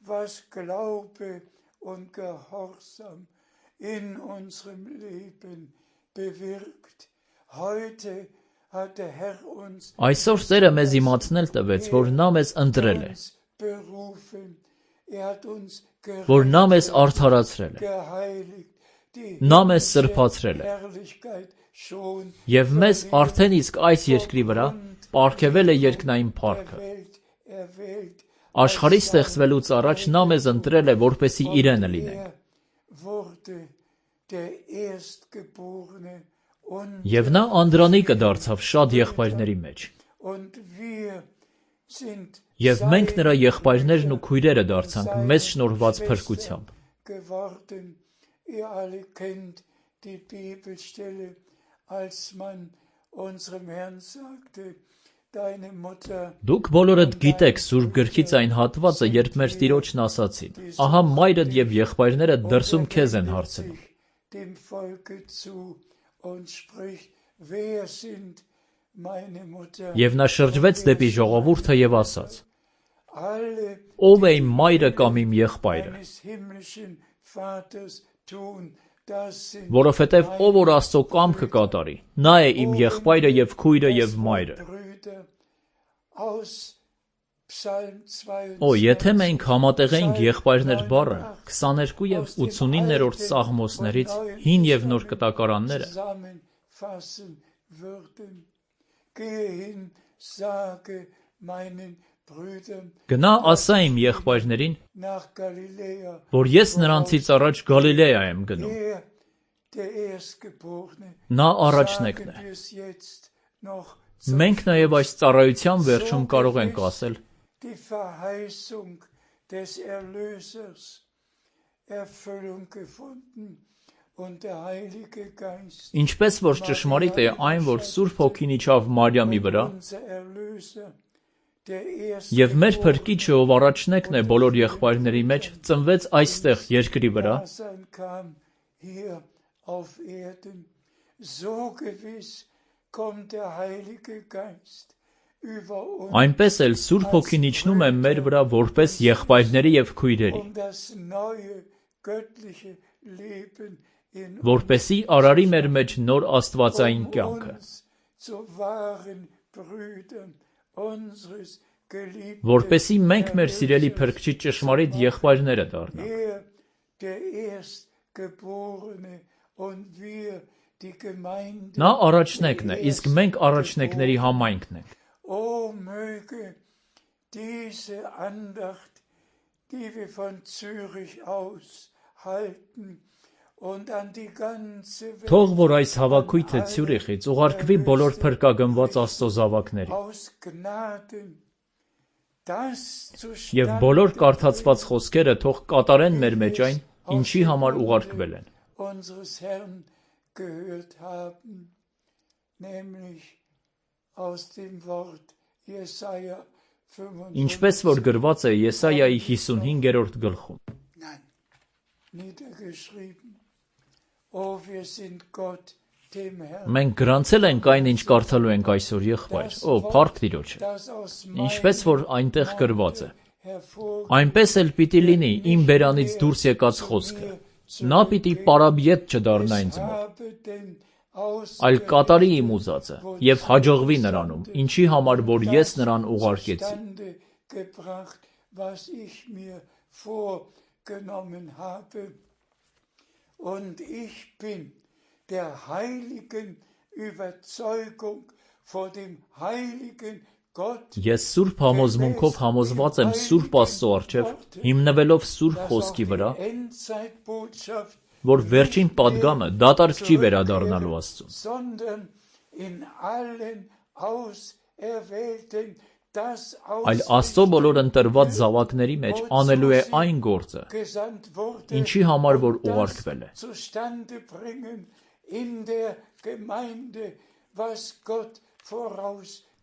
Was Glaube und Gehorsam in unserem Leben bewirkt. Heute hat der Herr uns Այսօր Տերը մեզ իմացնել տվեց, որ նա մեզ ընտրել է, որ նա մեզ արդարացրել է, նա մեզ սրբացրել է, և մեզ արդեն իսկ այս երկրի վրա պարգևել է երկնային փառքը։ Աշխարհի ստեղծվելուց առաջ նա մեզ ընտրել է, որպեսզի իրենը լինենք։ Եվ նա անդրանիկը դարձավ շատ եղբայրների մեջ։ Եվ մենք նրա եղբայրներն ու քույրերը դարձանք մեզ շնորհված փրկությամբ։ Դուք բոլորդ գիտեք Սուրբ Գրքից այն հատվածը, երբ մեր Տիրոջն ասացին. «Ահա մայրդ և եղբայրներդ դրսում քեզ են հարցնում»։ Եվ նա շրջվեց դեպի ժողովուրդը և ասաց. «Ո՞վ է իմ մայրը կամ իմ եղբայրը»։ Որովհետև ով որ Աստծո կամքը կատարի, նա է իմ եղբայրը և քույրը և մայրը։ Եթե մենք համատեղեինք եղբայրներ բառը 22 և 89-րդ Սաղմոսներից հին և նոր կտակարանները, գնա ասա իմ եղբայրներին, որ ես նրանցից առաջ Գալիլեա եմ գնում։ Նա առաջնեկն է։ Մենք նաև այս ծառայության վերջում կարող ենք ասել. Ինչպես որ ճշմարիտ է այն, որ Սուրբ Հոգին իջավ Մարիամի վրա, և մեր Փրկիչը, ով առաջնեկն է բոլոր եղբայրների մեջ, ծնվեց այստեղ երկրի վրա, այնպես էլ Սուրբ Հոգին իջնում է մեր վրա որպես եղբայրների և քույրերի, որպեսզի արարի մեր մեջ նոր աստվածային կյանքը, որպեսզի մենք մեր սիրելի Փրկչի ճշմարիտ եղբայրները դառնանք։ Նա առաջնեկն է, իսկ մենք առաջնեկների համայնքն ենք։ und an die ganze Welt Թող որ այս հավաքույթը Ցյուրիխից ուղարկվի բոլոր փրկագնված Աստծո զավակներին aus Gnaden das եւ բոլոր կարդացված խոսքերը թող կատարեն մեր մեջ այն, ինչի համար ուղարկվել են։ unseres Herrn gehört haben, nämlich aus dem Wort Jesaja 55. Ինչպես որ գրված է Եսայայի 55-րդ գլխում։ Nein, niedergeschrieben. Oh, wir sind Gott, dem Herrn. Մենք գրանցել ենք այն, ինչ կարդալու ենք այսօր եղբայր։ Օ, փառք Տիրոջը։ Ինչպես որ այնտեղ գրված է։ Այնպես էլ պիտի լինի իմ բերանից դուրս եկած խոսքը։ Նա պիտի պարաբիետ չդառնա ինձ մոտ, այլ կատարի իմ ուզածը եւ հաջողվի նրանում, ինչի համար որ ես նրան ուղարկեցի։ Gebracht, was ich mir vorgenommen habe. Und ich bin der heiligen Überzeugung vor dem heiligen Gott. Ես սուրբ համոզմունքով համոզված եմ սուրբ Աստծո առջև, հիմնվելով սուրբ խոսքի վրա, որ վերջին պատգամը դատարկ չի վերադառնալու Աստծուն, sondern in allen auserwählten այլ Աստծո բոլոր ընտրված զավակների մեջ անելու է այն գործը, ինչի համար որ ուղարկվել է։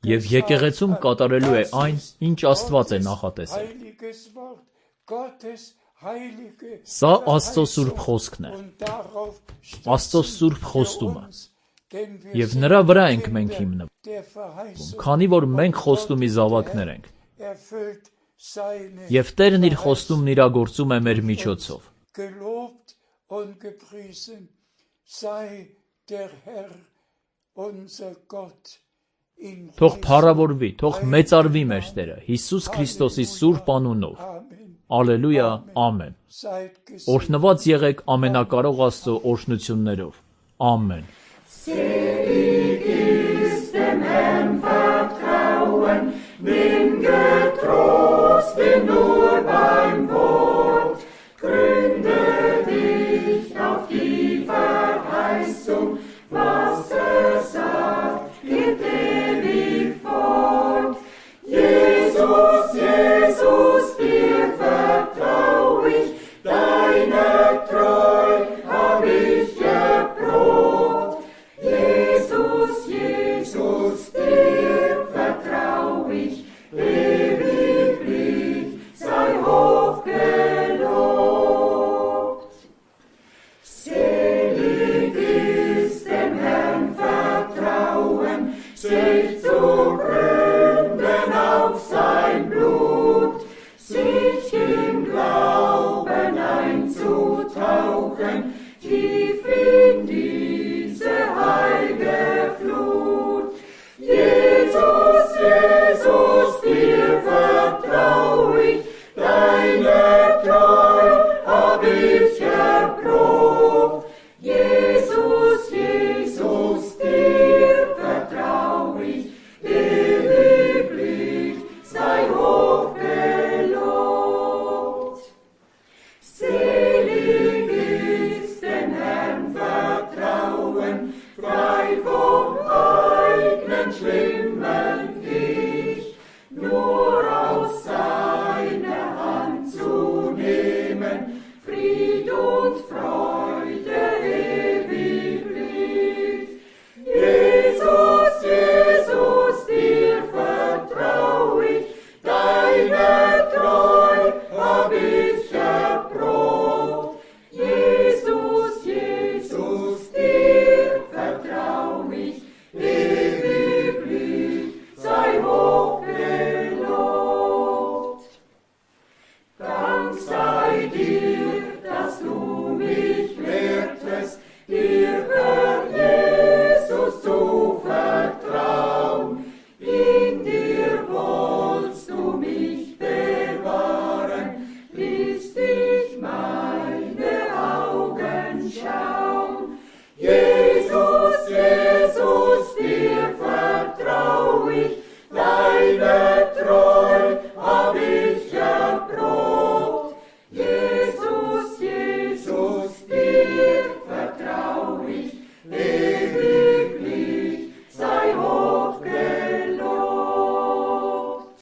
Եվ եկեղեցում կատարելու է այն, ինչ Աստված է նախատեսել։ Սա Աստծո սուրբ խոսքն է, Աստծո սուրբ խոստումը, եւ նրա վրա ենք մենք հիմնվում, քանի որ մենք խոստումի զավակներ ենք, եւ Տերն իր խոստումն իրագործում է մեր միջոցով։ Թող փառավորվի, թող մեծարվի մեր Տերը Հիսուս Քրիստոսի սուրբ անունով։ Ալելույա, ամեն։ Օրհնված եղեք ամենակարող Աստծո օրհնություններով։ Ամեն։ Selig ist dem Herrn vertrauen, dem getreu